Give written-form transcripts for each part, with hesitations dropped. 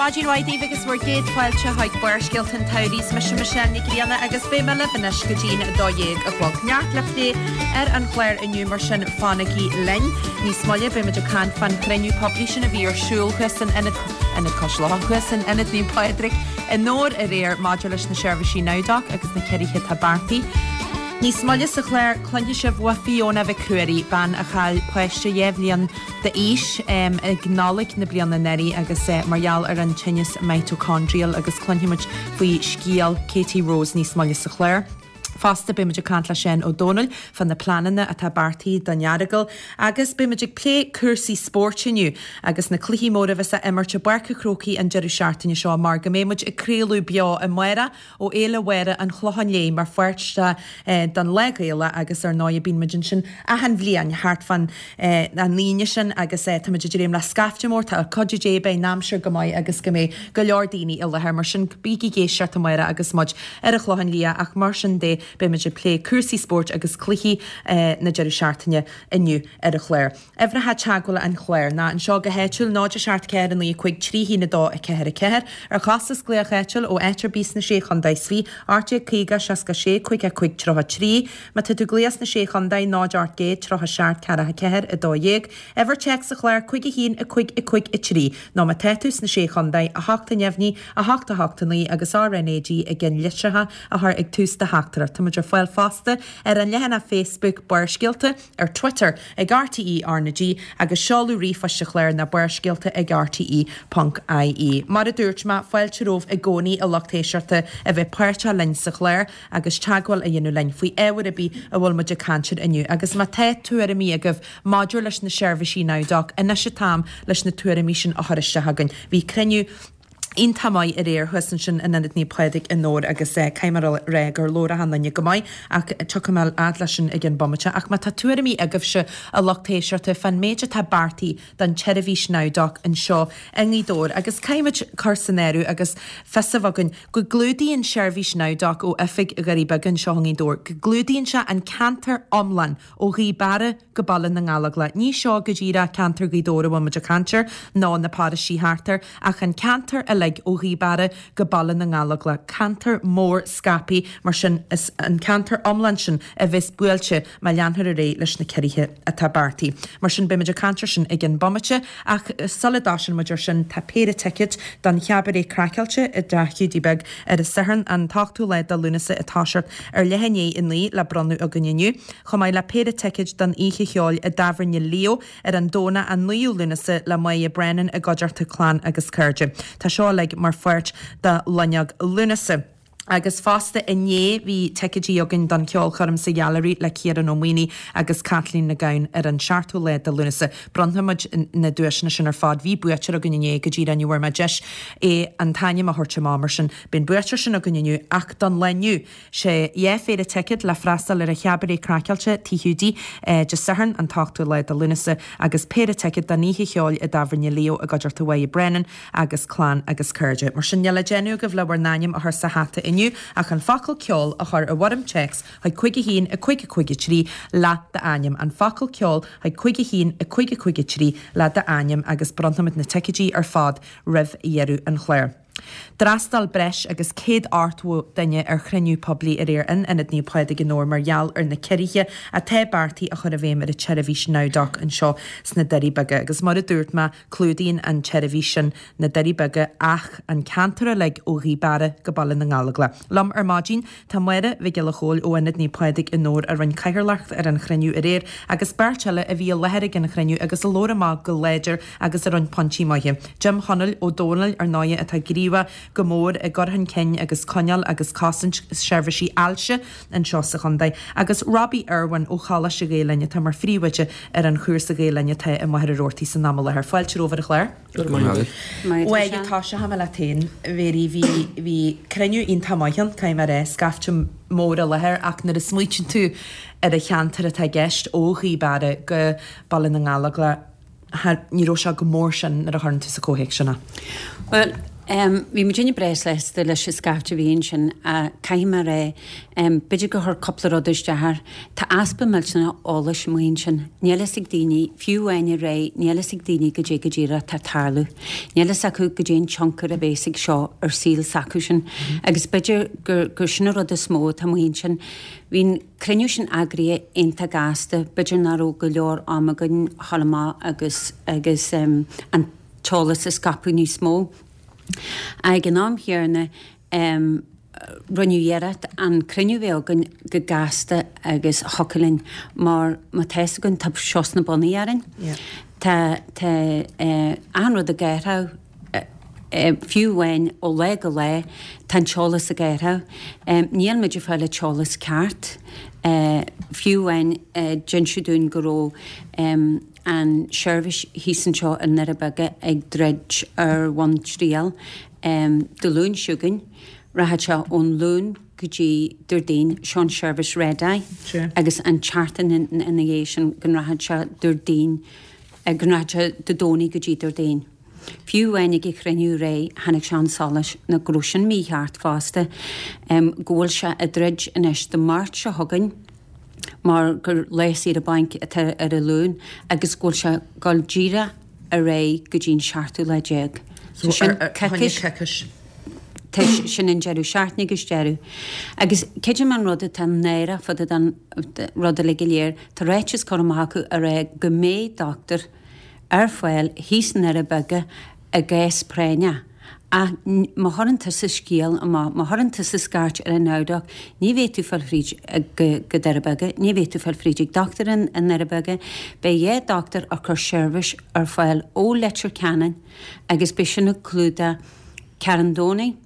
Maidin mhaith daoibh agus bhur gcéad fáilte chuig Barrscéalta an tSamhraidh. Is mise Michelle Nic Grianna agus beidh mé libh anois go dtí'n 12 a chlog. Neart le plé ar an chlár inniu mar sin fanaigí linn. Níos moille beidh muid ag caint fán chruinniú poiblí sin a bhí ar siúl thuas san Ionad Ionad Cois Locha thuas in Ionad Naomh Pádraig i nDobhar aréir maidir leis na seirbhísí NowDoc agus na ciorruithe atá beartaithe. Níos moille sa chlár cluinfidh sibh ó Fiona Mhic Ruairí, bean a chaill páiste 2 bhliain d'aois ag Nollaig na bliana anuraidh agus mar gheall ar an tinneas mitochondrial agus cluinfidh muid faoi scéal Katie Rose níos moille sa chlár. Fosta beidh muid ag caint le Seán Ó Domhnaill fá na pleananna atá beartaithe don Earagail agus beidh muid ag plé cúrsaí spóirt inniu agus na cluichí móra a bheas á imirt i bPáirc an Chrócaigh an deireadh seachtaine seo mar go mbeidh muid ag craoladh beo amárach ó Fhéile Mháire an Chlocháin Léith mar pháirt den Lá Gaelach agus ar ndóigh bíonn muid ansin achan bhliain thart fán an Aoine sin agus táimid ag dréim le scaifte mór, tá cuidiú Dé beidh an aimsir go maith agus go mbeidh go leor daoine i láthair mar sin bígí ag éisteacht amárach agus muid ar an Chlochán Liath ach mar sin de beidh muid ag plé cúrsaí spóirt agus cluichí na deireadh seachtaine inniu ar an chlár. Uimhreacha teagmhála an chláir ná anseo go háitiúil, 0 7 4 9 5 3 1 2 4 4, ar chostas glaoch áitiúil ó áit ar bith sna Sé Chontae is 20, 1850 66 55 33. Má tá tú ag glaoch sna Sé Chontae, 0 800 37 4 4 12. Uimhir téacs an chláir, 5 1 5 5 3. Nó má tá tú sna Sé Chontae, 8 neamhní, 8 8 9 agus RnaG i gceann litreacha a chur ag tús do theachtaireacht. Tá muid ar fáil fosta ar an leathanach Facebook Barrscéalta. ar Twitter ag RTÉ RnaG agus seoladh ríomhphoist an chláir ná barrscéalta ag rte ponc ie. Mar a dúirt mé, fáilte romhaibh i gcónaí a lucht éisteachta a bheith páirteach linn sa chlár agus teagmháil a dhéanamh linn faoi ábhar ar bith a bhfuil muid ag caint air inniu. Agus má tá tuairimí agaibh maidir leis na seirbhísí NowDoc, anois an t-am leis na tuairimí sin a chur isteach chugainn. Bhí cruinniú. iontach maith aréir thuas ansin in Ionad Naomh Pádraig i nDobhar agus caithfidh mé a rá gur labhair achan duine go maith ach tiocfaidh mé fhad leis sin i gcionn bomaite. Ach má tá tuairimí agaibhse, a lucht éisteachta, fán méid atá beartaithe don tseirbhís NowDoc anseo i nGaoth Dobhair agus caithfidh muid cur san áireamh agus fios a bheith againn go gclúdaíonn seirbhís NowDoc ó oifig Dhoirí Beaga anseo i Ngaoth Dobhair, go gclúdaíonn sé an ceantar iomlán ó Ghaoth Beara go Baile na nGallóglach. Ní seo go díreach ceantar Ghaoth Dobhair a bhfuil muid ag caint air, nó na paróistí thart air, ach an ceantar uilig ó Ghaoth Beara go Baile na nGallóglach. Ceantar mór scaipthe, mar sin is an ceantar iomlán sin a bheas buailte má leanfar ar aghaidh leis na ciorruithe atá beartaithe. Mar sin beidh muid ag caint air sin i gcionn bomaite, ach sula dtosaíonn muid air sin tá péire ticéad don Chabaret Craiceáilte i dTeach Hiúdaí Beag ar an Satharn an t-ochtú lá de Lúnasa ag toiseacht ar leath i ndiaidh 9 le bronnadh againn inniu. chomh maith le péire ticéid don oíche cheoil i dTábhairne Leo ar an Domhnach an 9ú Lúnasa le Máire Brennan i gcuideachta clann agus cairde. Tá seo uilig mar pháirt de Loinneog Lúnasa. Agus fosta inné bhí ticéidí againn don cheolchoirm sa Ghailearaí le Ciarán Ó Maonaigh agus Caitlín Nic Gabhann ar an seachtú lá de Lúnasa. Bronnfaidh muid na duaiseanna sin ar fad. Bhí buaiteoir againn inné go díreach ní bhfuair mé deis é an t-ainm a thabhairt amach mar sin beidh an buaiteoir sin againn inniu ach don lá inniu Sé 2 phéire ticéad le freastal ar an Chabaret Craiceáilte, Tigh Hiúdaí, Dé Sathairn an t-ochtú lá de Lúnasa agus péire ticéad don oíche cheoil i dTábhairne Leo i gcuideachta Mháire Brennan agus clann agus cairde. Mar sin níl le déanamh agaibh le bhur n-ainm a chur sa hata inniu ach an focal ceol a chur i bhfoirm téacs chuig 5 1 5 5 3 le d'ainm. An focal ceol chuig 5 1 5 5 3 le d'ainm agus bronnfaimid na ticéidí ar fad roimh dheireadh an chláir. D'fhreastail breis agus 180 duine ar chruinniú poiblí aréir in Ionad Naomh Pádraig i nDobhar mar gheall ar na ciorruithe atá beartaithe a chur i bhfeidhm ar an tseirbhís NowDoc anseo sna Doirí Beaga. Agus mar a dúirt mé, clúdaíonn an tseirbhís sin na Doirí Beaga ach an ceantar uilig ó Ghaoth Beara go Baile na nGallóglach. Liom ar maidin tá Máire Mhic Giolla Chóill ó Ionad Naomh Pádraig i nDobhar a rinne cathaoirleacht ar an chruinniú aréir agus beirt eile a bhí i láthair ag an chruinniú agus a labhair amach go láidir agus a rinne pointí maithe. Jim Chonaill Ó Domhnaill, ar ndóighe, atá gníomhach go mór i gcur chun cinn agus coinneáil agus cosaint seirbhísí ailse anseo sa chontae, agus Robbie Irwin ó Choláiste Ghael Linn atá mar phríomhoide ar an chúrsa Gaelainne atá i Machaire Rabhartaigh san am i láthair. Fáilte romhaibh ar an chlár. Go raibh maith agat. Bhuel, tosóidh mé leat féin, a Mhéirí, bhí, bhí cruinniú iontach maith ann, caithfidh mé a rá, scaifte mór i láthair ach nuair a smaoitíonn tú ar an cheantar atá i gceist ó Ghaoth Beara go Baile na nGallóglach, ní raibh sé chomh mór sin nuair a chuireann tú sa chomhthéacs sin é. Bhuel. Bhí muidinne breá sásta leis an scaifte a bhí ansin ach caithfidh mé a rá, b'fhéidir gur chuir cúpla rud isteach air. Tá easpa millteanach eolais amuigh ansin. Níl fhios ag daoine, fiú amháin aréir, níl fhios ag daoine goidé go díreach atá ag tarlú. Níl fhios acu goidé an tionchar a bhéas ag seo ar saol s'acusan agus b'fhéidir gur gur sin an rud is mó atá amuigh ansin. Bhí an cruinniú sin eagraithe iontach gasta, b'fhéidir nach raibh go leor am againn a dhul amach agus agus an t-eolas a scaipeadh níos mó. Ag an am chéanna, rinneadh iarracht an cruinniú a bheith againn go gasta agus thiocfadh linn mar má tá fhios againn tá seo sna bonnaí orainn. Tá tá achan rud ag athrú fiú amháin ó lá go lá tá an t-eolas ag athrú. Níl muid ag fáil an t-eolas ceart. Fiú amháin d'inseadh dúinn go raibh an seirbhís thíos anseo i nDoirí Beaga ag druid ar bhonn triail Dé Luain seo chugainn. Rachaidh sé ón Luan go dtí Déardaoin, seo an seirbhís Red Eye, agus an tseachtain ina dhiaidh sin go rachaidh sé Déardaoin, go rachaidh sé Dé Domhnaigh go dtí Déardaoin. Fiú amháin ag an chruinniú aréir tháinig sé chun solais ná go raibh sin mícheart fosta, go bhfuil sé ag druid anois Dé Máirt seo chugainn, mar gur lá saoire bainc atá ar an Luan agus go bhfuil sé ag dul díreach ar aghaidh go dtí an seachtú lá déag. So sin coicís. Sin an deireadh seachtaine agus deireadh. Agus creidim an rud atá náireach fá dtaobh den rud uilig go léir, tá ráiteas curtha amach acu a rá go mbeidh dochtúir ar fáil thíos i nDoirí Beaga i gcás práinneach. Ach má chuireann tusa scéal amach, má chuireann tusa scairt ar an NowDoc, ní bheidh tú ag fáil fríd go Doirí Beaga, ní bheidh tú ag fáil fríd ag dochtúir i nDoirí Beaga. Beidh 2 dochtúir ag cur seirbhís ar fáil ó Leitir Ceanainn agus beidh sin ag clúdach Carn Domhnaigh,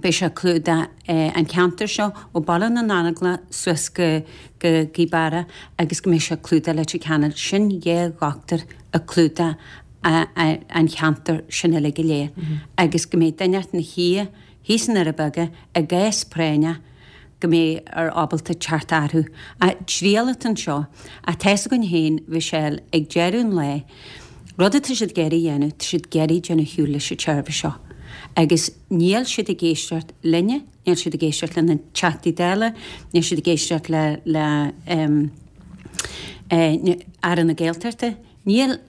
beidh sé ag clúdach an ceantar seo ó Baile na nAngla suas go Gaoth Beara agus go mbeidh sé ag clúdach Leitir Ceanainn. Sin 2 dhochtúir ag clúdach an cheantar sin uilig go léir agus go mbeidh duine ina shuí thíos i nDoirí Beaga i gcás práinneach go mbeidh ar ábalta teacht orthu. Ach triail atá anseo. Ach tá fhios againn féin, Mhichelle, ag deireadh an lae, rud atá siad ag iarraidh a dhéanamh, tá siad ag iarraidh déanamh ar shiúl leis an tseirbhís seo. Agus níl siad ag éisteacht linne, níl siad ag éisteacht le na Teachtaí Dála, níl siad ag éisteacht le le Aire na Gaeltachta, níl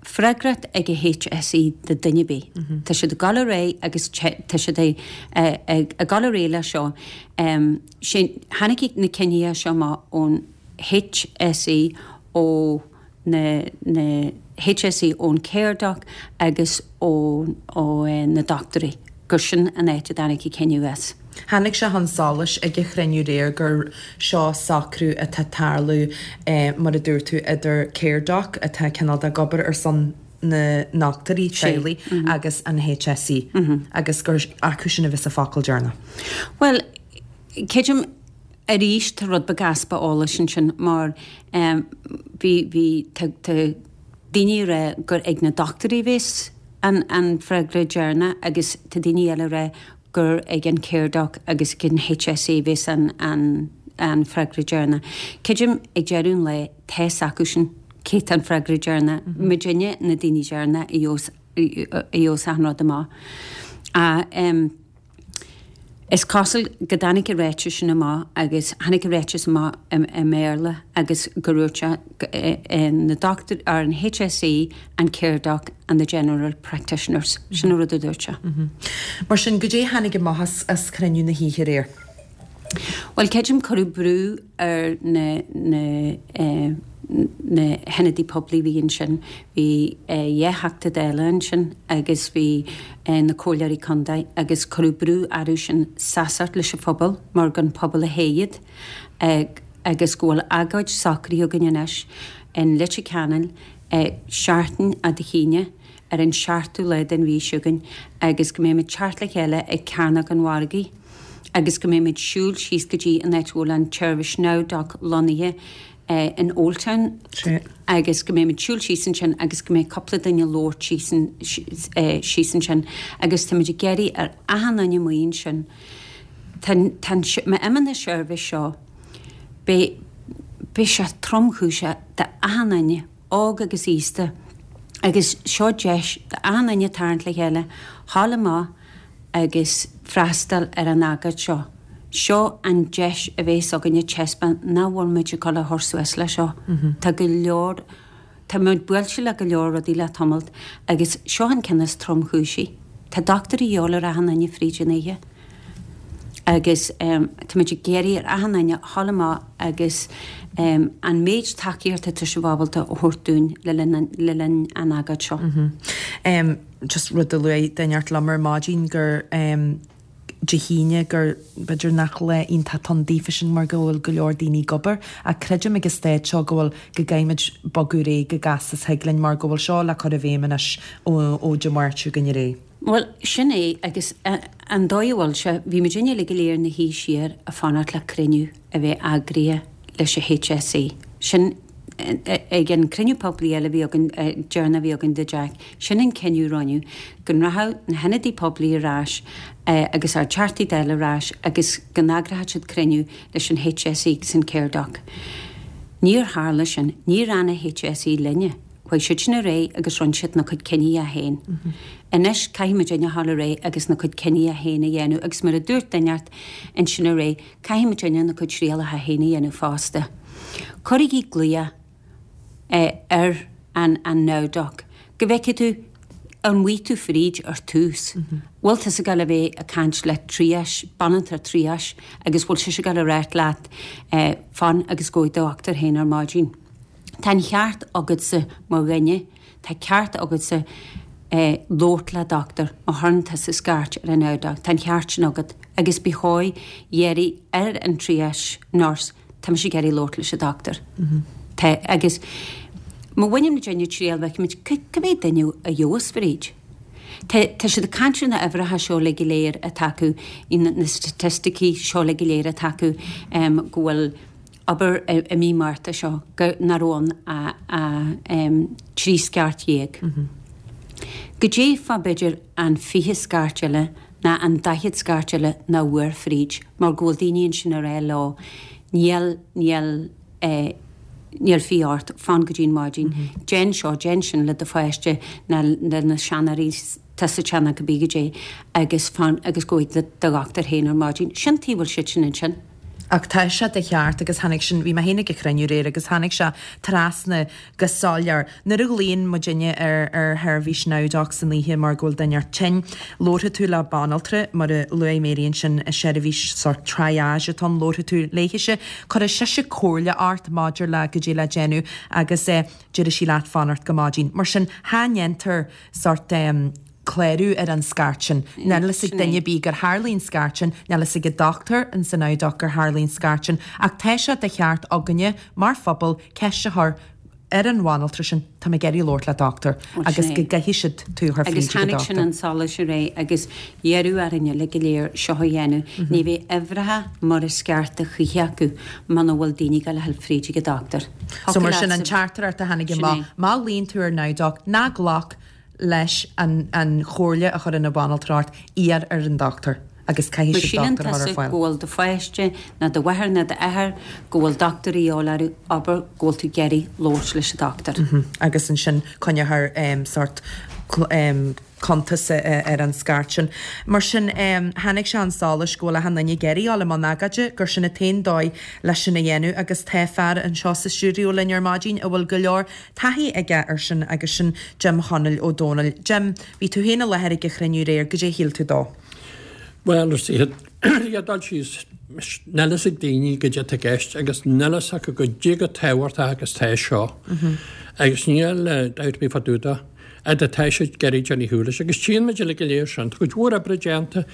freagracht ag an HSE do duine ar bith. Tá siad ag dul ar aghaidh agus tá siad ag dul ar aghaidh leis seo. Sin, tháinig na cinntí seo amach ón HSE, ó na na HSE, ón Caredoc agus ó ó na dochtúirí, gur sin an áit a dtáinig an cinneadh as. Tháinig sé chun solais ag an chruinniú aréir gur seo socrú atá ag tarlú, mar a dúirt tú, idir Caredoc, atá cineál de ag obair ar son na ndochtúirí teaghlaigh, agus an HSE, agus gur acu sin a bheas an focal deireanach. Bhuel, creidim arís tá rud beag easpa eolais ansin mar bhí, bhí, tá, tá daoine ag rá gur ag na dochtúirí a bheas an, an freagra deireanach agus tá daoine eile ag rá gur ag an Caredoc agus ag an HSE a bheas an freagra deireanach. Creidim ag deireadh an lae tá fhios acusan cé tá an freagra deireanach. Muidinne na daoine deireanach a gheobhas achan rud amach. Ach is cosúil go dtáinig an ráiteas sin amach agus tháinig an ráiteas amach i mBéarla agus go dúirt sé na dochtúirí, or an HSE, an Caredoc and the general practitioners. Sin an rud a dúirt sé. Mar sin, goidé a tháinig amach as cruinniú na hoíche aréir? Bhuel, creidim cuireadh brú ar na na na hionadaithe poiblí a bhí ansin. Bhí 2 Theachta Dála ansin agus bhí na comhairleoirí contae agus cuireadh brú orthu sin seasamh leis an phobal mar gur an pobal a thoghadh iad agus go bhfuil agóid socraithe againn anois in Leitir Ceanainn seachtain ó Dé hAoine ar an seachtú lá den mhí seo chugainn agus go mbeimid teacht le chéile ag Cearnóg an Mhargaidh agus go mbeimid siúl síos go dtí an áit a bhfuil an tseirbhís NowDoc lonnaithe in Oldtown agus go mbeimid siúl síos ansin agus go mbeidh cúpla duine ag labhairt síos ansin agus táimid ag iarraidh ar achan duine amuigh ansin tá tá má imíonn an seirbhís seo beidh beidh sé tromchúiseach d'achan duine, óg agus aosta, agus seo deis d'achan duine tarraingt le chéile, ghabháil amach. agus freastal ar an agóid seo. Seo an deis a bhéas againne taispeáint nach bhfuil muid ag dul a chur suas le seo. Tá go leor, tá muid buailte le go leor rudaí le tamalt agus seo an ceann is tromchúisí. Tá dochtúir a dhíobháil ar achan duine fríd an oíche agus tá muid ag iarraidh ar achan duine a dhul amach agus an méid tacaíochta atá sibh ábalta a thabhairt dúinn le linn le linn an agóid seo. Just rud a luaigh duine inteacht liom ar maidin gur Dé hAoine gur b'fhéidir nach lá iontach atá ann daofa sin mar go bhfuil go leor daoine ag obair ach creidim ag an staid seo go bhfuil go gcaithfimid bogadh ar aghaidh chomh gasta is thig linn mar go bhfuil seo le cur i bhfeidhm anois ó Dé Máirt seo chugainn ar aghaidh. Bhuel, sin é agus an dóigh a bhfuil sé, bhí muidinne uilig go léir ina shuí siar ag fanacht le cruinniú a bheith eagraithe leis an HSE. Sin ag an cruinniú poiblí eile a bhí againn, deireanach a bhí againn do Jack, sin an cinneadh a rinneadh, go rachadh na hionadaithe poiblí ar ais agus ár dTeachtaí Dála ar ais agus go n-eagródh siad cruinniú leis an HSE agus an Caredoc. Níor tharla sin. Níor fhan an HSE linne. Chuaigh siad sin ar aghaidh agus rinne siad na cuid cinní féin. Anois caithfidh muidinne a dhul ar aghaidh agus na cuid cinní féin a dhéanamh agus mar a dúirt duine inteacht ansin aréir, Caithfidh muidinne na cuid trialacha féin a dhéanamh fosta. Cuirigí glaoch ar an an NowDoc go bhfeicfidh tú an bhfaighidh tú fríd ar tús. Bhfuil tusa ag dul a bheith ag caint le triage, banaltra triage agus bhfuil sise ag dul a ráit leat fan agus gabh chuig do dhochtúir féin ar maidin. Tá an cheart agatsa mar dhuine Tá ceart agatsa labhairt le dochtúir má chuireann tusa scairt ar an NowDoc. Tá an cheart sin agat agus ba chóir iarraidh ar an triage nurse, tá mise ag iarraidh labhairt leis an dochtúir. Tá, agus má bhaineann muidinne triail feicfimid cá mhéad duine a gheobhas fríd. Tá, tá siad ag caint ar na uimhreacha seo uilig go léir atá acu, na staitisticí seo uilig go léir atá acu go bhfuil, abair i mí Márta seo go nach raibh ann ach 13 scairt. Goidé fá b'fhéidir an 20 scairt eile ná an 40 scairt eile nach bhfuair fríd mar go bhfuil daoine ansin ag rá leo níl, níl, níl fiacha ort, fan go dtí'n maidin, déan seo, déan sin le do pháiste ná le na seanóirí atá sa teach ná cibé goidé agus fan agus gabh chuig do dhochtúir féin ar maidin. Sin tuige a bhfuil siad sin ansin. Ach tá sé de cheart agus tháinig sin, bhí mé féin ag an chruinniú aréir agus tháinig sé trasna go soiléir. Nuair a ghlaonn muidinne ar ar sheirbhís NowDoc san oíche mar go bhfuil duine inteacht tinn, labharfaidh tú le banaltra, mar a luaigh Mary ansin, seirbhís sórt triage atá ann, labharfaidh tú léithise, cuirfidh sise comhairle ort maidir le goidé le déanamh agus déarfaidh sí leat fanacht go maidin. Mar sin, cha ndéantar sórt clárú ar an scairt sin. Níl a fhios ag duine ar bith gur tharlaigh an scairt sin, níl a fhios ag an dochtúir in san NowDoc gur tharlaigh an scairt sin, ach tá sé de cheart againne mar phobal ceist a chur ar an bhanaltra sin, tá mé ag iarraidh labhairt le dochtúir, agus go gcaithfidh siad tú a chur fríd ag an Agus tháinig sin dochtúir. chun solais aréir agus iarradh orainn uilig go léir seo a dhéanamh. Ní bheidh uimhreacha mar is ceart a choíche acu muna bhfuil daoine ag dul a ghabháil fríd ag an dochtúir. So mar sin an teachtaireacht a tháinig amach, má ghlaonn tú ar NowDoc, ná glac leis an an chomhairle a chuireann an bhanaltra ort, iarr ar an dochtúir agus caithfidh Má siad síleann dochtúir a chur ar tusa fáil. go bhfuil do pháiste ná do mháthair ná d'athair go bhfuil dochtúir a dhíobháil orthu, abair go bhfuil tú ag iarraidh labhairt leis an dochtúir. Agus ansin coinneofar sórt cuntas ar an scairt sin. Mar sin, tháinig sé chun solais go bhfuil achan duine ag iarraidh dul i mbun agóide, gur sin an t-aon dóigh leis sin a dhéanamh agus tá fear anseo sa stiúideo linn ar maidin a bhfuil go leor taithí aige ar sin agus sin Jim Chonaill Ó Dónaill. Jim, bhí tú féin i láthair ag an chruinniú aréir, goidé a shíl tú dó? Bhuel, ar an dul síos, níl fhios ag daoine goidé atá i gceist agus níl fhios acu goidé chomh tábhachtach agus tá seo. Agus níl dabht ar bith fá dtaobh de, fhad atá siad ag iarraidh déanamh ar shiúl leis. Agus tchíonn muid uilig go léir sin. Tá cuid mhór oibre déanta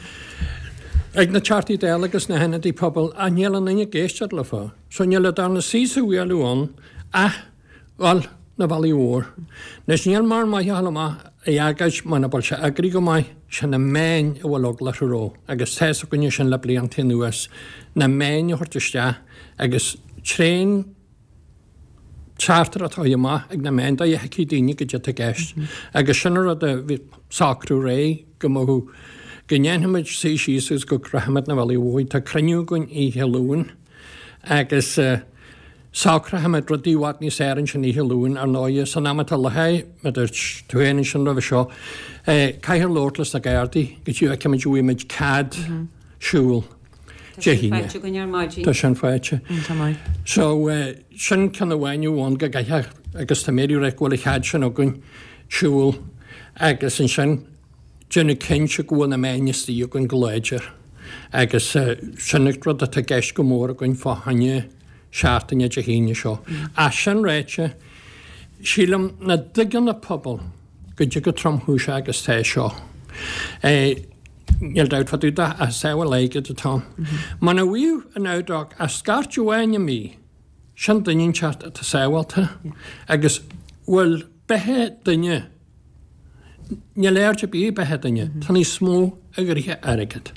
ag na Teachtaí Dála agus na hionadaithe pobail ach níl aon duine ag éisteacht leofa. So níl an darna suí sa bhualadh ann ach dhul na bealaigh mhór. Anois níl mórán maith a dhul amach ag agóid muna bhfuil sé eagraithe go maith, sé na meáin a bhfuil eagla orthu roimh agus tá's againne sin le blianta anuas, na meáin a thabhairt isteach agus tréan teachtaireacht a chur amach ag na meáin dóigh a thuigfidh daoine goidé atá i gceist. Agus sin an rud a bhí socrú aréir go mbeadh, go ndéanfaimid suí síos agus go gcrochfaimid na bealaigh mhóir. Tá cruinniú againn oíche Luain agus. Socróimid rudaí i bhfad níos fhearr ansin oíche Luain, ar ndóighe, san am atá i láthair, mar a dúirt tú féin ansin roimhe seo, caithfear labhairt leis na Gardaí go dtí go bhfeicfimid an bhfaighimid cead siúl Dé hAoine. Tá sin faighte againn ar maidin. Tá sin faighte. So, sin ceann amháin amháin go gcaithfear, agus tá Mary ag rá go bhfuil an chead sin againn siúl agus ansin déanamh cinnte go bhfuil na meáin istigh againn go láidir agus sin an rud atá i gceist go mór againn fá choinne seachtaine Dé hAoine seo. Ach sin ráite, sílim nach dtuigeann an pobal goidé chomh tromchúiseach agus tá seo. Níl dabht fá dtaobh de ach sábháil airgid atá ann. Muna bhfuil an NowDoc ach scairt amháin i mí, sin duine inteacht atá sábhálta agus bhfuil beatha duine Níl aird ar bith ar beatha duine, tá níos mó i gcroíthe airgead.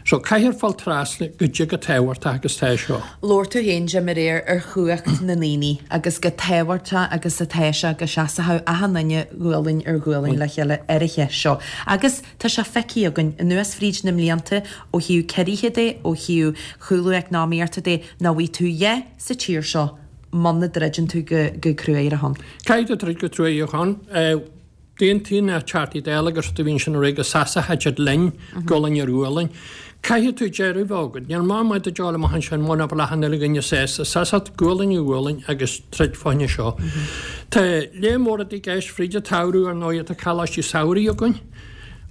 So caithfear fáil trasna goidé chomh tábhachtach agus tá seo. Labhair tú féin, Jim, aréir ar chumhacht na ndaoine agus chomh tábhachtach agus atá sé go seasfadh achan duine gualainn ar ghualainn le chéile ar an cheist seo. Agus tá sé feicthe againn, anuas fríd na mblianta, ó thaobh ciorruithe de, ó thaobh chúlú eacnamaíochta de, nach bhfaighidh tú a dhath sa tír seo muna dtroideann tú go cruaidh ar a shon. Caithfidh tú troid go cruaidh ar a shon. D'aontaigh na Teachtaí Dála agus rudaí a bhí ansin aréir go seasfadh siad linn, gualainn ar ghualainn. Caithfidh tú deireadh a bheith agat. Níl maith maith duit dul amach ansin muna bhfuil achan uile dhuine sásta seasamh gualainn ar ghualainn agus troid fá choinne seo. Tá lear mór rudaí i gceist fríd an tsamhradh ar ndóigh tá coláistí samhraidh againn.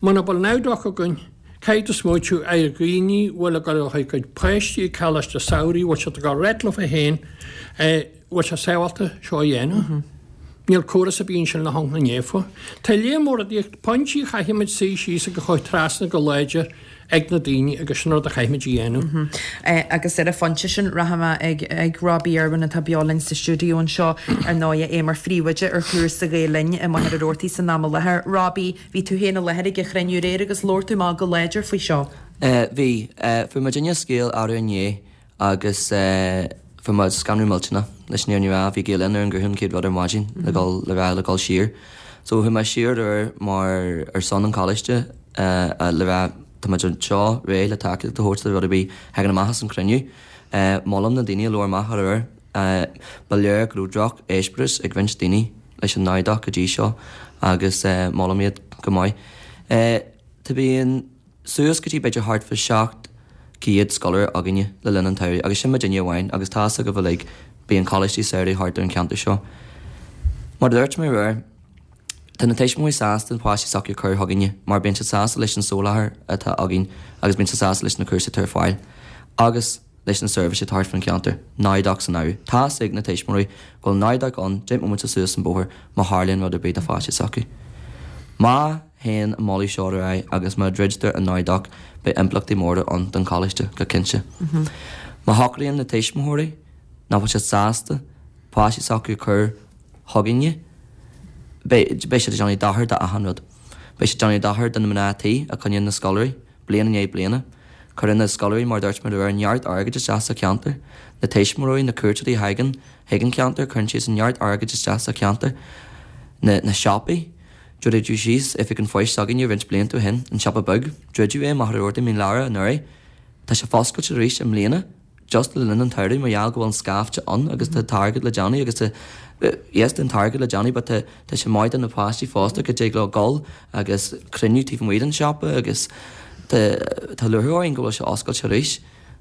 Muna bhfuil NowDoc againn, Caithfidh tú smaoitiú ar dhaoine a bhfuil ag dul a gcuid páistí ag coláiste samhraidh, bhfuil siad ag dul réidh leofa féin, bhfuil sé sábhálta seo a dhéanamh. Níl córas ar bith ansin le hionc na naofa. Tá lear mór rudaí, pointí a chaithfimid suí síos agus a chur trasna go láidir ag na daoine agus sin rud a chaithfimid a dhéanamh. Agus ar an phointe sin, rachaidh mé ag ag Robbie Irwin atá beo linn sa stiúideo anseo, ar ndóighe, é mar phríomhoide ar chúrsa Ghael Linn i Machaire Rabhartaigh san am i láthair. Robbie, Bhí tú féin i láthair ag an chruinniú aréir agus labhair tú amach go láidir faoi seo. Bhí. Fuair muidinne scéal arú inné agus fuair muid scanrú millteanach leis an fhírinne a rá. Bhí Gael Linn ar an nguthán céad rud ar maidin le dhul le rá le dhul siar. So chuaigh mé siar aréir mar ar son an choláiste le rá tá muid anseo réidh le tacaíocht a thabhairt do rud ar bith a thagann amach as an chruinniú. Molaim na daoine a labhair amach aréir. Ba léir go raibh droch eispéireas ag roinnt daoine leis an NowDoc go dtí seo agus molaim iad go maith. Tá bíonn suas go dtí b'fhéidir thart fá 700 scoláire againne le linn an tsamhraidh agus sin muidinne amháin agus tá fhios agaibh uilig bíonn coláistí samhraidh thart ar an cheantar seo. Mar a dúirt mé aréir, tá na tuismitheoirí sásta na páistí s'acu a chur chugainne mar bíonn siad sásta leis an soláthar atá againn agus bíonn siad sásta leis na cúrsaí atá ar fáil agus leis na seirbhísí atá thart fán cheantar, NowDoc san áireamh. Tá fhios ag na tuismitheoirí go bhfuil NowDoc ann 10 mbomaite suas an bóthar má tharlaíonn rud ar bith do pháiste s'acu. Má théann an moladh seo ar aghaidh agus má dhruidtear an NowDoc beidh impleachtaí móra ann don choláiste, go cinnte. Má shocraíonn na tuismitheoirí nach bhfuil siad sásta páistí s'acu a chur chugainne, beidh siad ag déanamh dochar do achan rud. Beidh siad ag déanamh dochar do na mná tí a choinníonn na scoláirí. bliain i ndiaidh bliana. Cuireann na scoláirí, mar a dúirt mé aréir, neart airgid isteach sa cheantar. Na tuismitheoirí, na cuairteoirí a thagann chuig an cheantar, cuireann siadsan neart airgid isteach sa cheantar. Na na siopaí, druideadh síos Oifig an Phoist s'againne roinnt blianta ó shin, an siopa beag, druideadh é i Machaire Rabhartaigh Mín Lárach anuraidh. Tá sé foscailte arís i mbliana. just le linn an tsamhraidh mar gheall go bhfuil an scaifte ann agus tá an t-airgead le déanamh agus tá yes tá an t-airgead le déanamh but tá tá sé maith do na páistí fosta go dtig leo dul agus cruinniú taobh amuigh den siopa agus tá tá lúcháir orainn go bhfuil sé oscailte arís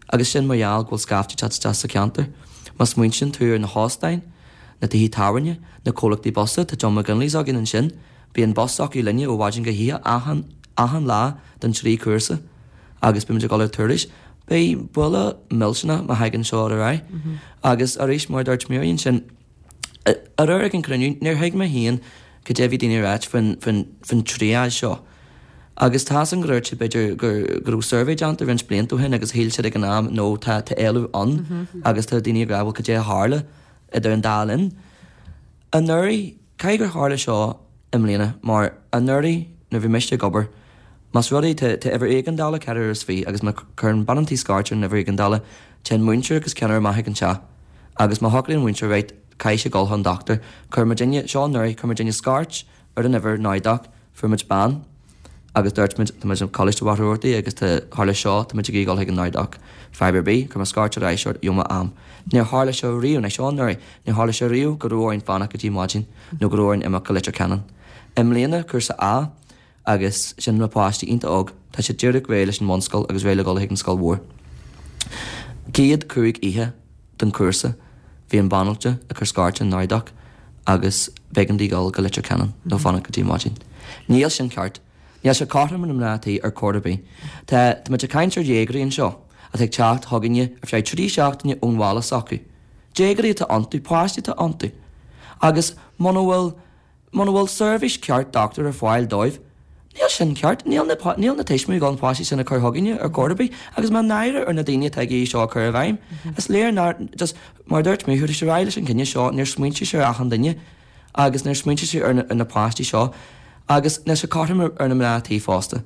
agus sin mar gheall go bhfuil scaifte ag teacht isteach sa cheantar. Má smaointíonn tú ar na hóstáin, na tithe tábhairne, na comhlachtaí busa, tá John McGinley's againn ansin, bíonn bus acu linne ó mhaidin go hoíche achan achan lá don trí chúrsa. agus beimid ag dul ar turais. Beidh buille millteanach má thagann seo ar aghaidh. Agus arís, mar a dúirt Mary ansin, aréir ag an cruinniú, níor thuig mé féin cad é a bhí daoine a ráit faoin, faoin, faoin triage seo. Agus tá fhios agam gur dúirt siad b'fhéidir gur, go raibh survey déanta roinnt blianta ó shin agus shíl siad ag an am no tá, tá éileamh ann agus tá daoine ag rá bhuel cad é a tharla idir an dá linn. Anuraidh, caithfidh gur tharla seo i mbliana mar anuraidh nuair a bhí mise ag obair, más rud é tá tá uimhir éigeandála 24 agus má chuireann bean an tí scairt ar an uimhir éigeandála, téann múinteoir agus ceannaire amach ag an teach agus má shocraíonn an múinteoir right caithfidh sé dul chun dochtúir, chuir muidinne, seo anuraidh, chuir muidinne scairt ar an uimhir NowDoc, fuair muid bean. Agus dúirt muid, tá muid i Coláiste Mhachaire Rabhartaigh agus tá, tharla seo, tá muid ag iarraidh dul chuig an NowDoc. Fadhb ar bith, chuir mé scairt ar ais ort, gheobhaidh mé am. Níor tharla sé riamh, ná seo anuraidh, níor tharla sé riamh go raibh orainn fanacht go dtí maidin nó go raibh orainn imeacht go Leitir Ceanainn. I mbliana, cúrsa A, agus sin na páistí iontach óg, tá siad díreach réidh leis an mbunscoil agus réidh le dhul chuig an scoil mhór. Céad chúig oíche den chúrsa, bhí an banaltra ag cur scairt an NowDoc agus b'éigean di dhul go Leitir Ceanainn nó fanacht go dtí maidin. Níl sin ceart. Níl sé cothrom ar na mná tí ar chor ar bith. Tá, tá muid ag caint ar dhéagóirí anseo atá ag teacht chugainne ar feadh 3 seachtaine ón bhaile s'acu. Déagóirí atá iontu, páistí atá iontu. Agus muna bhfuil, Muna bhfuil seirbhís ceart dochtúir ar fáil dóibh, níl sin ceart. Níl na, níl na tuismitheoirí ag dul na páistí sin a chur chugainne ar chor ar bith agus tá náire ar na daoine atá ag iarraidh seo a chur i bhfeidhm. Is léir nár, just, mar a dúirt mé, chuaigh siad ar aghaidh leis an gcinneadh seo, níor smaointigh siad ar achan duine agus níor smaointigh siad ar na, ar na páistí seo agus níl sé cothrom ar, ar na mná tí fosta.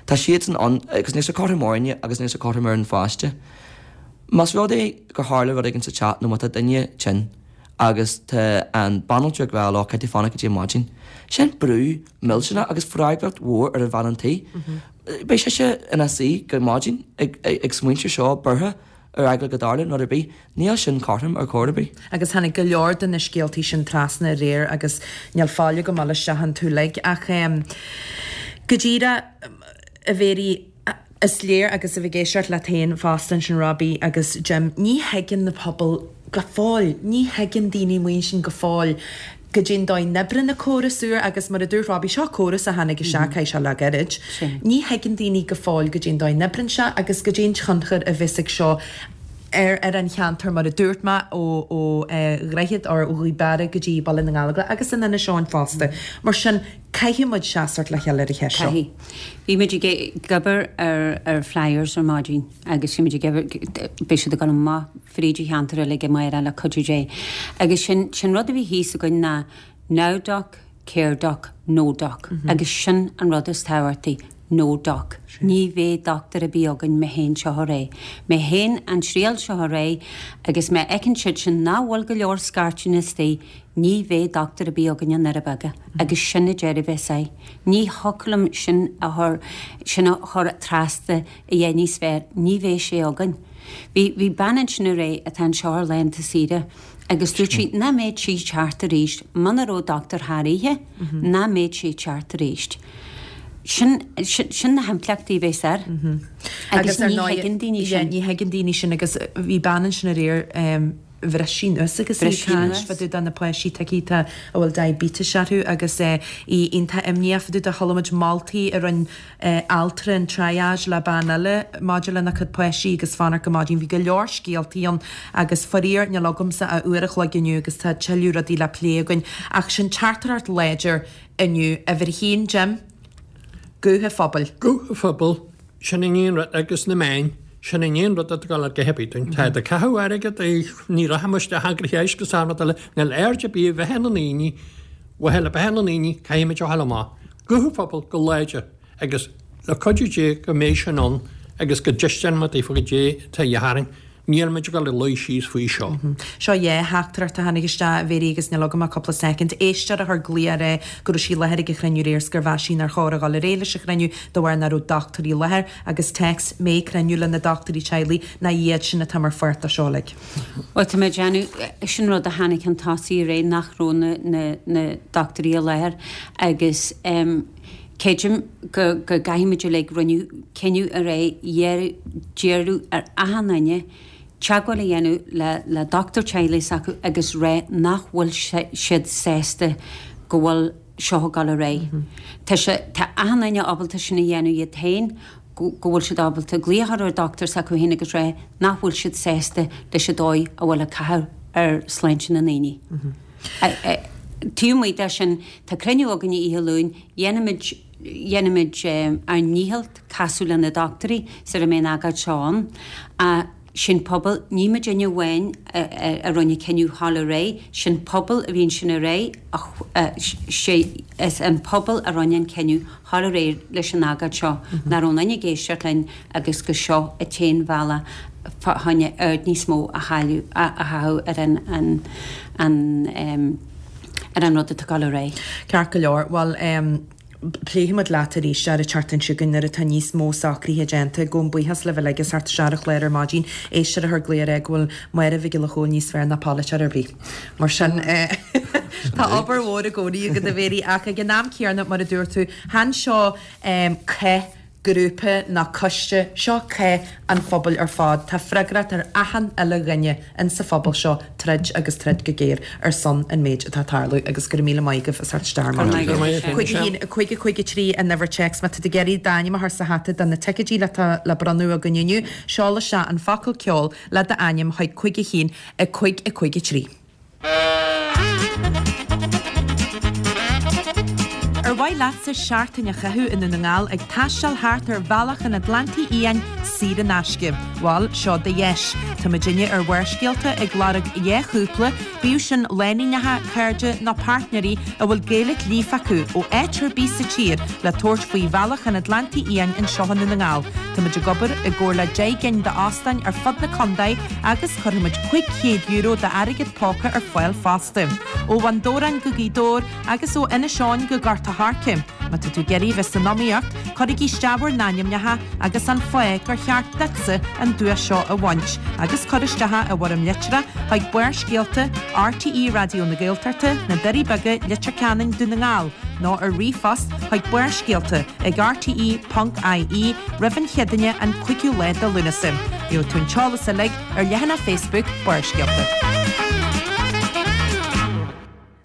Tá siadsan ann agus níl sé cothrom orainne agus níl sé cothrom ar an pháiste. Más rud é gur tharla rud éigin sa teach nó má tá duine tinn, agus tá an banaltra ag rá leo caithfidh tú fanacht go dtí maidin. Sin brú millteanach agus freagracht mhór ar an bhean an tí. Beidh sise ina suí go maidin ag smaointiú seo buartha ar eagla go dtarlódh rud ar bith. Níl sin cothrom ar chor ar bith. Agus tháinig go leor de na scéaltaí sin trasna aréir agus níl fáil agam dul isteach iontu uilig ach go díreach, a Mhéirí, Is léir, agus a bheith ag éisteacht leat féin fosta ansin Robbie agus Jim, ní thuigeann na pobail go fóill, ní thuigeann daoine amuigh ansin go fóill goidé an dóigh a n-oibreann an córas úr agus mar a dúirt Robbie, seo córas a tháinig isteach, caithfidh sé le gairid. Ní thuigeann daoine go fóill goidé an dóigh a n-oibreann sé agus goidé an tionchar a bheas ag seo ar ar an cheantar mar a dúirt mé ó ó Dhroichead or ó Ghaoth Beara go dtí Baile na nGallóglach agus in Inis Eoghain fosta. Mar sin, Caithfidh muid seasamh le chéile ar an cheist seo. Caithfidh. Bhí muid ag obair ar flyers ar maidin agus bhí muid ag obair, beidh siad ag dul amach fríd an cheantar uilig amárach le cuidiú Dé. Agus sin, sin rud a bhí thíos againn ná now doc, care doc, no doc. Agus sin an rud is tábhachtaí, no doc. Ní bheidh dochtúir ar bith againn má théann seo ar aghaidh. Má théann an triail seo ar aghaidh agus má fheiceann siad sin nach bhfuil go leor scairteanna istigh, Ní bheidh dochtúir ar bith againn i nDoire Beaga agus sin an deireadh a bheas air. Ní thiocfadh liom sin a chur, sin a chur trasna a dhath níos fearr, ní bheidh sé againn. Bhí, bhí bean ansin aréir atá anseo ar laethanta saoire agus dúirt sí nach mbeadh sí ag teacht arís muna raibh dochtúir thar oíche, nach mbeadh sí ag teacht arís. Sin, sin, sin na himpleachtaí a bheas air. Agus ní thuigeann daoine sin. Ní thuigeann daoine sin agus bhí bean ansin aréir, bhris sí anuas agus í ag caint fá dtaobh de na páistí tuigthe a bhfuil diabetes orthu agus í iontach imníoch fá dtaobh de. Chuala muid moltaí a rinne altra an triage le bean eile maidir lena cuid páistí agus fanacht go maidin. Bhí go leor scéaltaí ann agus faraor níl agamsa ach uair a chloig inniu agus tá tuilleadh rudaí le plé againn ach sin teachtaireacht láidir inniu. Uimhir a haon, Jim, guth an phobail. Guth an phobail. Sin an aon rud, agus na meáin, sin an aon rud atá ag dul a dhath ar bith dúinn. Tá ag caitheamh airgead, ní rachaidh muid isteach eagraithe éisc is achan rud eile, níl aird ar bith a bheith ar na ndaoine, mhaithe le beatha na ndaoine, caithfidh muid a ghabháil amach. Guth an phobail go láidir agus le cuidiú Dé go mbeidh sin ann agus go dtaispeánfaidh muid daofa goidé atá a dhíth orainn. Níl muid ag dul a luí síos faoi seo. Seo dhá theachtaireacht a tháinig isteach, a Mhéirí, agus níl agam ach cúpla soicind. Éisteoir a chuir glaoch aréir go raibh sí i láthair ag an chruinniú aréir 's gur mheas sí nár chóir a dhul ar aghaidh leis an chruinniú de bharr nach raibh dochtúirí i láthair agus téacs, an mbeidh cruinniú le na dochtúirí teaghlaigh ná iad sin atá mar pháirt de seo uilig. Bhuel, tá mé ag déanamh, sin rud a tháinig chun tosaigh aréir nach raibh na, na, na dochtúirí i láthair agus em, Creidim go go gcaithfimid uilig rinneadh cinneadh aréir d'iarradh ar achan duine teagmháil a dhéanamh le le dochtúir teaghlaigh s'acu agus rá nach bhfuil siad sásta go bhfuil seo ag dul ar aghaidh. Tá sé tá achan duine ábalta sin a dhéanamh iad féin go go bhfuil siad ábalta glaoch a chur ar dochtúir s'acu féin agus rá nach bhfuil siad sásta leis an dóigh a bhfuil ag caitheamh ar sláinte na ndaoine. Taobh amuigh de sin, tá cruinniú againne oíche Luain, dhéanfaimid, dhéanfaimid ár ndícheall casadh le na dochtúirí sar a mbeidh an agóid seo ann. Ach sin pobal, ní muidinne amháin a rinne cinneadh dhul ar aghaidh, sin pobal a bhí ansin aréir, sé is an pobal a rinne an cinneadh dhul ar aghaidh leis an agóid seo, nach raibh aon duine ag éisteacht linn agus gur seo an t-aon bhealach fá choinne aird níos mó a chailleadh, a chaitheamh ar an, an, an, ar an rud atá ag dul ar aghaidh. Ceart go leor. Bhuel, em. Pléifidh muid leat arís ar an tseachtain seo chugainn nuair atá níos mó socruithe déanta. Gabhaim buíochas libh uilig as theacht isteach ar an chlár ar maidin. Éisteoir a chuir glao ag rá go bhfuil Máire Mhic Giolla Chóill níos fearr ná polaiteoir ar bith. Mar sin, tá obair mhór i gcónaí agat a Mhary ach ag an am céanna, mar a dúirt tú, chan seo cath grúpa ná coiste, seo cath an phobail ar fad. Tá freagracht ar achan uile dhuine insa phobal seo troid agus troid go géar ar son an méid atá ag tarlú agus go raibh míle maith agaibh as theacht isteach ar maidin. 5 1 5 5 3 an uimhir téacs má tá tú ag iarraidh d'ainm a chur sa hata do na ticéidí atá le bronnadh againn inniu, seol isteach an focal ceol le d'ainm chuig 5 1 5 5 3. Ar mhaith leatsa seachtain a chaitheamh i nDún na nGall ag taisteal thart ar Bhealach an Atlantaigh Fhiáin saor in aisce? Bhal, seo do dheis. Tá muidinne ar Bharrscéalta ag lorg 2 chúpla, bíodh sin lánúineacha, cairde nó páirtnéirí a bhfuil Gaeilge líofa acu, ó áit ar bith sa tír le tabhairt faoi Bhealach an Atlantaigh Fhiáin anseo i nDún na nGall. Tá muid ag obair i gcomhar le 10 gcinn d'óstáin ar fud na contae agus cuirfidh muid €500 d'airgead póca ar fáil fosta. Ó Bhun Dobhráin go Gaoth Dobhair agus ó Inis Eoghain go Gort a' Choirce. Má tá tú ag iarraidh bheith san iomaíocht, cuirigí isteach bhur n-ainmneacha agus an fáth gur cheart duitse an duais seo a bhaint agus cuir isteach i bhfoirm litreach chuig Barrscéalta, RTÉ Raidió na Gaeltachta, Na Doirí Beaga, Leitir Ceanainn, Dún na nGall nó ar ríomhphost chuig barrscéalta ag rte ponc ie roimh an Chéadaoine an 5ú lá de Lúnasa. Gheobhaidh tú an t-eolas uilig ar leathanach Facebook Barrscéalta.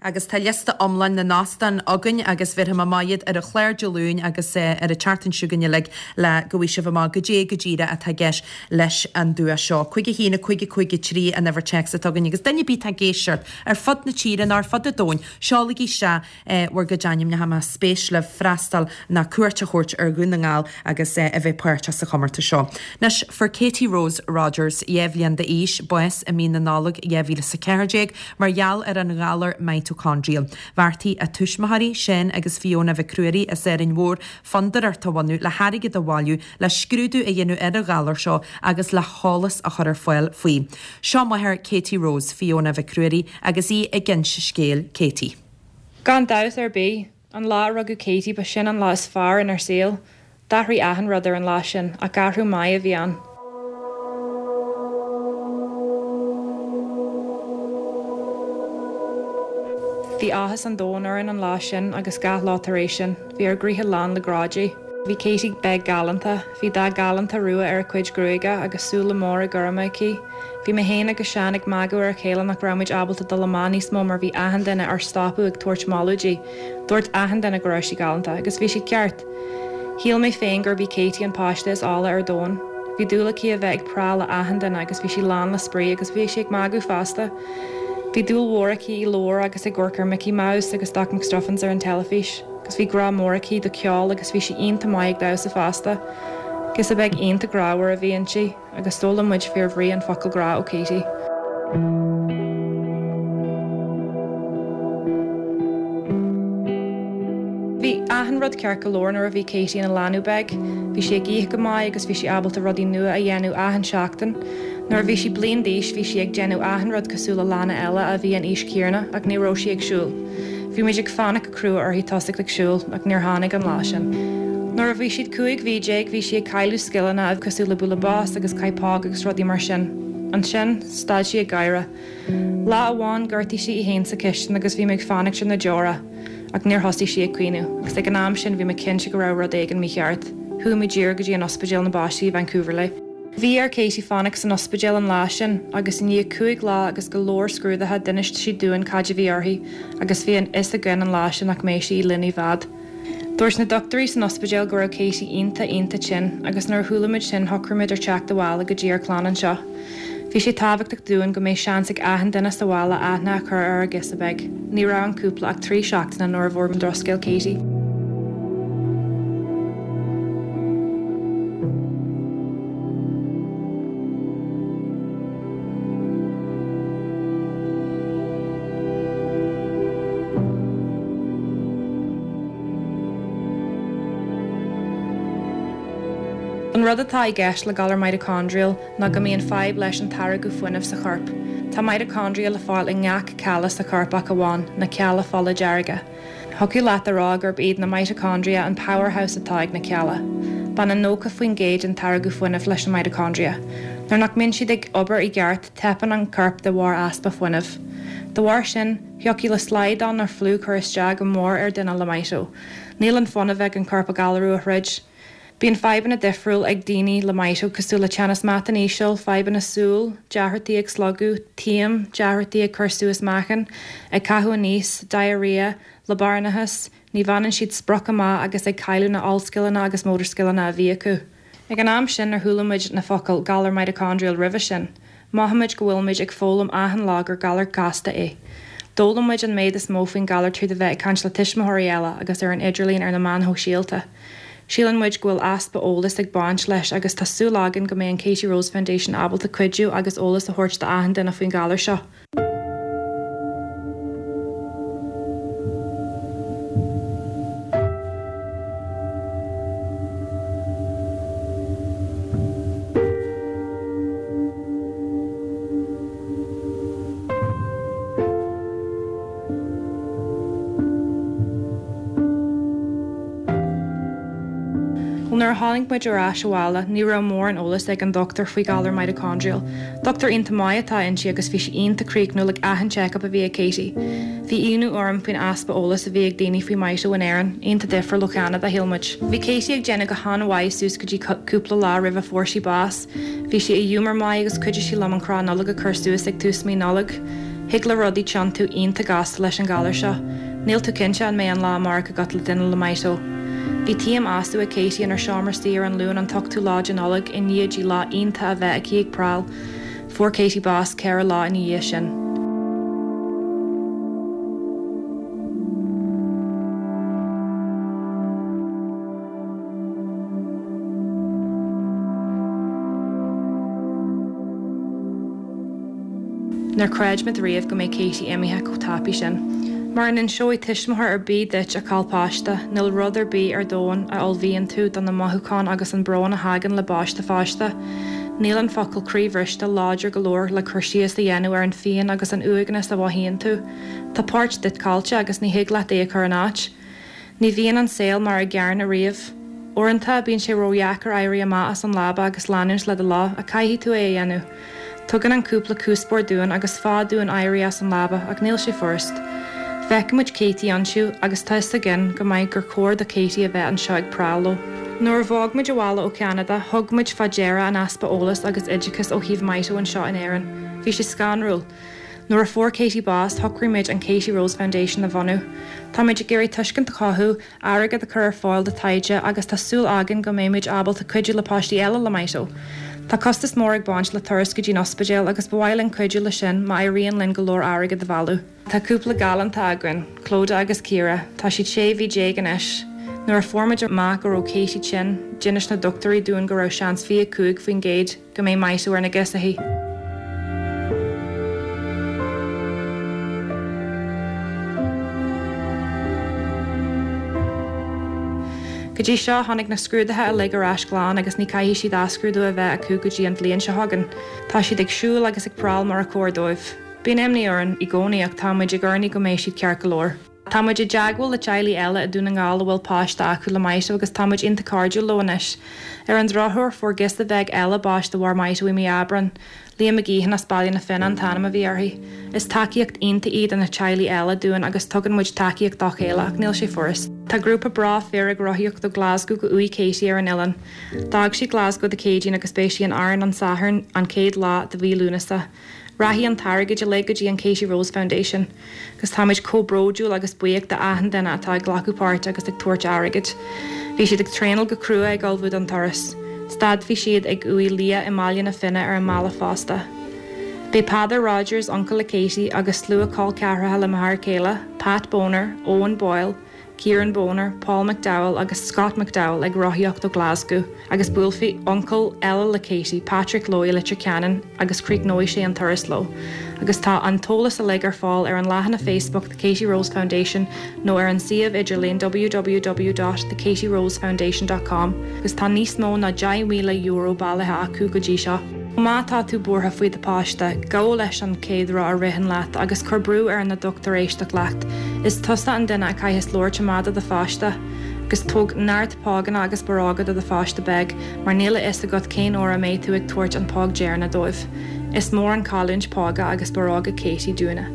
Agus tá liosta iomlán na n-óstán againn agus bhéarfaidh mé amach iad ar an chlár Dé Luain agus ar an tseachtain seo chugainn uilig le go bhfaighidh sibh amach goidé go díreach atá i gceist leis an duais seo. 5 1 5 5 3 an uimhir téacs atá againn agus duine ar bith atá ag éisteacht ar fud na tíre nó ar fud an domhain, seolaigí isteach bhur gcuid ainmneacha más spéis libh freastal ná cuairt a thabhairt ar Dhún na nGall agus a bheith páirteach sa chomórtas seo. Anois, fuair Katie Rose Rogers, 2 bhliain d'aois, bás i mí na Nollag 2014 mar gheall ar an ghalar mitochondrial. Bheartaigh a tuismitheoirí, Seán agus Fiona Mhic Ruairí as Árainn Mhór, fondúireacht a bhunú le hairgead a bhailiú le scrúdú a dhéanamh ar an ghalar seo agus le heolas a chur ar fáil faoi. Seo máthair Katie Rose, Fiona Mhic Ruairí, agus í ag inse scéal Katie. Gan dabht ar bith, an lá a rugadh Katie ba sin an lá is fearr inár saol. D'athraigh achan rud ar an lá sin, ach athrú maith a bhí ann. Bhí áthas an domhain orainn an lá sin agus gach lá tar éis sin. Bhí ár gcroíthe lán le grá di. Bhí Katie beag galánta. Bhí dath galánta rua ar a cuid gruaige agus súile móra gorma aici. Bhí mé féin agus Seán ag magadh ar a chéile nach raibh muid ábalta dul amach níos mó mar bhí achan duine ár stopadh ag tabhairt moladh di. Dúirt achan duine go raibh sí galánta, agus bhí siad ceart. Shíl mé féin gurb í Katie an páiste is áille ar domhan. Bhí dúil aici a bheith ag prá le achan duine agus bhí sí lán le spraoi agus bhíodh sí ag magadh fosta. Bhí dúil mhór aici i leabhair agus ag amharc ar Mickey Mouse agus Doc McStuffins ar an teilifís. Agus bhí grá mór aici do ceol agus bhí sí iontach maith ag damhsa fosta. Girseach beag iontach grámhar a bhí inti. Agus d'fhoghlaim muid fíor bhrí an focal grá ó Katie. Bhí achan rud ceart go leor nuair a bhí Katie ina leanbh beag. Bhí sí ag ithe go maith agus bhí sí ábalta rudaí nua a dhéanamh achan seachtain. Nuair a bhí sí bliain d'aois bhí sí ag déanamh achan rud cosúil le leanaí eile a bhí an aois chéanna ach ní raibh sí ag siúl. Bhí muid ag fanacht go crua uirthi tosacht ag siúl ach níor tháinig an lá sin. Nuair a bhí siad 15 mhí bhí sí ag cailleadh scileanna cosúil le bualadh bos agus caith póg agus rudaí mar sin. Ansin, stad sí ag gáire. Lá amháin, ghortaigh sí í féin sa chistin agus bhí mé ag fanacht ar na deora ach níor thosaigh sí ag caoineadh agus ag an am sin bhí mé cinnte go raibh rud éigin mícheart. Chuaigh muid díreach go dtí an ospidéal na bpáistí i Vancouver léi. Bhí ar Katie fanacht san ospidéal an lá sin agus i ndiaidh 5 lá agus go leor scrúduithe d'inis siad dúinn cad a bhí uirthi agus bhí an fhios againn an lá sin nach mbeadh sí linn i bhfad. Dúirt na dochtúirí san ospidéal go raibh Katie iontach iontach tinn agus nuair a chuala muid sin shocraigh muid ar teacht abhaile go dtí ár clann anseo. Bhí sé tábhachtach dúinn go mbeadh seans ag achan duine sa bhaile aithne a chur ar ár girseach beag. Ní raibh an cúpla ach 3 seachtaine nuair a bhfuair muid drochscéal Katie. An rud atá i gceist le galar mitochondrial ná go mbíonn fadhb leis an táirgeadh fuinnimh sa chorp. Tá mitochondria le fáil i ngach cealla sa chorp ach amháin na cealla fola dearga. Thiocfadh leat a rá gurb iad na mitochondria an powerhouse atá ag na cealla. Baineann 90% den táirgeadh fuinnimh leis na mitochondria. Nuair nach mbíonn siad ag obair i gceart, teipeann an corp de bharr easpa fuinnimh. De bharr sin, thiocfadh le slaghdán nó fliú cur isteach go mór ar duine le mito. Níl an fuinneamh ag an corp a galarú a throid. Bíonn fadhbanna difriúil ag daoine le mito cosúil le teannas meatan íseal, fadhbanna súl, deacrachtaí ag slogadh, taom, deacrachtaí ag cur suas meáchan, ag caitheamh aníos, diarrhea, liobarnachas, ní bhaineann siad sprioc amach agus ag cailleadh na ollscileanna agus motor scileanna a bhí acu. Ag an am sin níor chuala muid na focail galar mitochondrial roimhe sin. Mothaímid go bhfuilimid ag foghlaim achan lá gur galar casta é. D'fhoghlaim muid an méid is mó faoin galar tríd a bheith ag caint le tuismitheoirí eile agus ar an idirlíon ar na meáin shóisialta. Síleann muid go bhfuil easpa eolais ag baint leis agus tá súil againn go mbeidh an Katie Rose Foundation ábalta cuidiú agus eolas a thabhairt do achan duine faoin ghalar seo. Bhuel, nuair a tháinig muid ar ais abhaile, ní raibh mórán eolais ag an dochtúir faoi ghalar mitochondrial. Dochtúir iontach maith atá inti agus bhí sí iontach críochnúil ag achan check-up a bhí ag Katie. Bhí ionadh orm faoin easpa eolais a bhí ag daoine faoi mito in Éirinn, iontach difriúil ó Cheanada, shíl muid. Bhí Katie ag déanamh go han-mhaith suas go dtí cúpla lá roimh a fuair sí bás. Bhí sí i ghiúmar maith agus chuidigh sí liom an crann Nollag a chur suas ag tús mí Nollag. Thig le rudaí tiontú iontach gasta leis an ghalar seo. Níl tú cinnte an mbeidh an lá amárach agat le duine le mito. Bhí taom astu ag Katie inár seomra suí ar an Luan an t-ochtú lá de Nollaig i ndiaidh di lá iontach a bheith aici ag prál. Fuair Katie bás 4 lá ina dhiaidh sin. Níor chreid muid riamh go mbeadh Katie imithe chomh tapaidh sin. Mura n-inseoidh tuismitheoir ar bith duit a chaill páiste, níl rud ar bith ar domhan a ullmhaíonn tú do na mothúcháin agus an brón a thagann le bás do pháiste. Níl an focal croíbhriste láidir go leor le cur síos a dhéanamh ar an phian agus an uaigneas a mhothaíonn tú. Tá páirt duit caillte agus ní thig leat é a chur in áit. Ní bhíonn an saol mar a gceanna riamh. Uaireanta, bíonn sé ródheacair éirí amach as an leaba agus leanúint le do lá, ach caithfidh tú é a dhéanamh. Tugann an cúpla cuspóir dúinn agus fáth dúinn éirí as an leaba, ach níl sé furast. Feicimid Katie ansiúd agus tá fhios againn go maith gur chóir do Katie a bheith anseo ag prál leo. Nuair a bhog muid abhaile ó Cheanada, thug muid fá deara an easpa eolais agus oideachais ó thaobh Mito anseo in Éirinn. Bhí sé scanrúil. Nuair a fuair Katie bás, shocraigh muid an Katie Rose Foundation a bhunú. Táimid ag iarraidh tuiscint a chothú, airgead a chur ar fáil do taighde agus tá súil againn go mbeimid ábalta cuidiú le páistí eile le Mito. Tá costas mór ag baint le turas go dtí'n ospidéal agus ba mhaith linn cuidiú le sin má éiríonn linn go leor airgead a bhailiú. Tá cúpla galánta againn, Clodagh agus Ciara, tá siad 16 mhí anois. Nuair a fuair muid amach go raibh Katie tinn, d'inis na dochtúirí dúinn go raibh seans 25%, go mbeidh mito ar na girseachaí. Go dtí seo, tháinig na scrúduithe uilig ar ais glan agus ní caithfidh siad athscrúdú a bheith acu go dtí an bhliain seo chugainn. Tá siad ag siúl agus ag prál mar a chóir dóibh. Bíonn imní orainn i gcónaí ach tá muid ag urnaí go mbeidh siad ceart go leor. Tá muid i dteagmháil le teaghlaigh eile i Dún na nGall a bhfuil páiste acu le Mito agus tá muid iontach cairdiúil leo anois. Ar an drochuair, fuair girseach bheag eile bás de bharr Mito i mí Aibreán. Leah McGeehan as Baile na Finne an t-ainm a bhí uirthi. Is tacaíocht iontach iad na teaghlaigh eile dúinn agus tugann muid tacaíocht dá chéile ach níl sé furast. Tá grúpa breá fir ag rothaíocht ó Glasgow go uaigh Katie ar an oileán. D'fhág siad Glasgow Dé Céadaoin agus beidh sí in Árainn an Satharn an chéad lá de mhí Lúnasa. Rachaidh an t-airgead uilig go dtí an Katie Rose Foundation. Agus táimid chomh bródúil agus buíoch d'achan duine atá ag glacadh páirt agus ag tabhairt airgid. Bhí siad ag traenáil go crua ag ullmhú don turas. Stadfaidh siad ag uaigh Leah i mBaile na Finne ar an mbealach fosta. Beidh Peadar Rogers, uncail le Katie, agus slua col ceathracha le m'fhear céile, Pat Boner, Owen Boyle, Kieran Boner, Paul McDowell agus Scott McDowell ag rothaíocht ó Glasgow agus buailfidh uncail eile le Katie, Patrick leo i Leitir Ceanainn agus críochnóidh sé an turas leo. Agus tá an t-eolas uilig ar fáil ar an leathanach Facebook The Katie Rose Foundation nó ar an suíomh idirlín www dot thekatierosefoundation dot com agus tá níos mó ná €10,000 bailithe acu go dtí seo. Má tá tú buartha faoi do pháiste, gabh leis an chéad rud a ritheann leat agus cuir brú ar na dochtúir éisteacht leat. Is tusa an duine a chaitheas labhairt amach do do pháiste. Agus tóg neart póganna agus barróga do do pháiste beag mar níl a fhios agat cén uair a mbeidh tú ag tabhairt an póg deireanach dóibh. Is mór an cailliúint póga agus barróga Katie dúinne.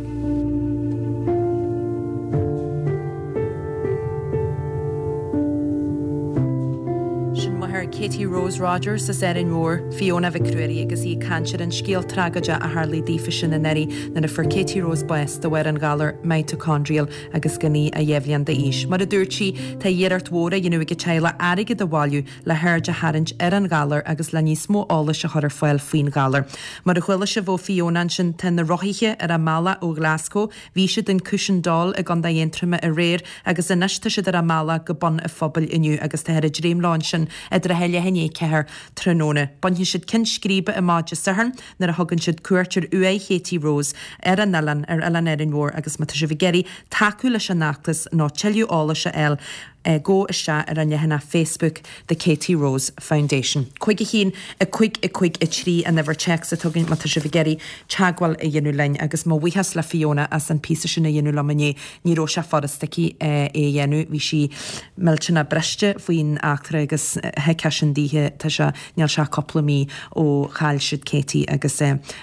Sin máthair Katie Rose Rogers as Árainn Mhór, Fiona Mhic Ruairí agus í ag caint ar an scéal tragóideach a tharlaigh daofa sin anuraidh nuair a fuair Katie Rose bás de bharr an ghalair mitochondrial agus gan í ach 2 bhliain d'aois. Mar a dúirt sí, tá iarracht mhór á dhéanamh ag a teaghlach airgead a bhailiú le haird a tharraingt ar an ghalar agus le níos mó eolais a chur ar fáil faoin ghalar. Mar a chuala sibh ó Fiona ansin, tá na rothaithe ar a mbealach ó Ghlaschú, bhí siad in Cushendall i gContae Aontroma aréir agus anois tá siad ar a mbealach go Bun a' Phobail inniu agus táthar ag dréim leo ansin i dtrátha leath i ndiaidh 4 tráthnóna. Bainfidh siad ceann scríbe amach Dé Sathairn nuair a thugann siad cuairt ar uaigh Katie Rose ar an oileán, ar Oileán Árainn Mhór agus má tá sibh ag iarraidh tacú leis an fheachtas nó tuilleadh eolais a fháil, gabh isteach ar an leathanach Facebook The Katie Rose Foundation. 5 1 5 5 3 an uimhir téacs atá againn má tá sibh ag iarraidh teagmháil a dhéanamh linn agus mo bhuíochas le Fiona as an píosa sin a dhéanamh liom inné. Ní raibh sé furast aici é a dhéanamh. Bhí sí millteanach briste faoin eachtra agus thuigfeá sin daoithe. Tá sé, níl sé ach cúpla mí ó chaill siad Katie agus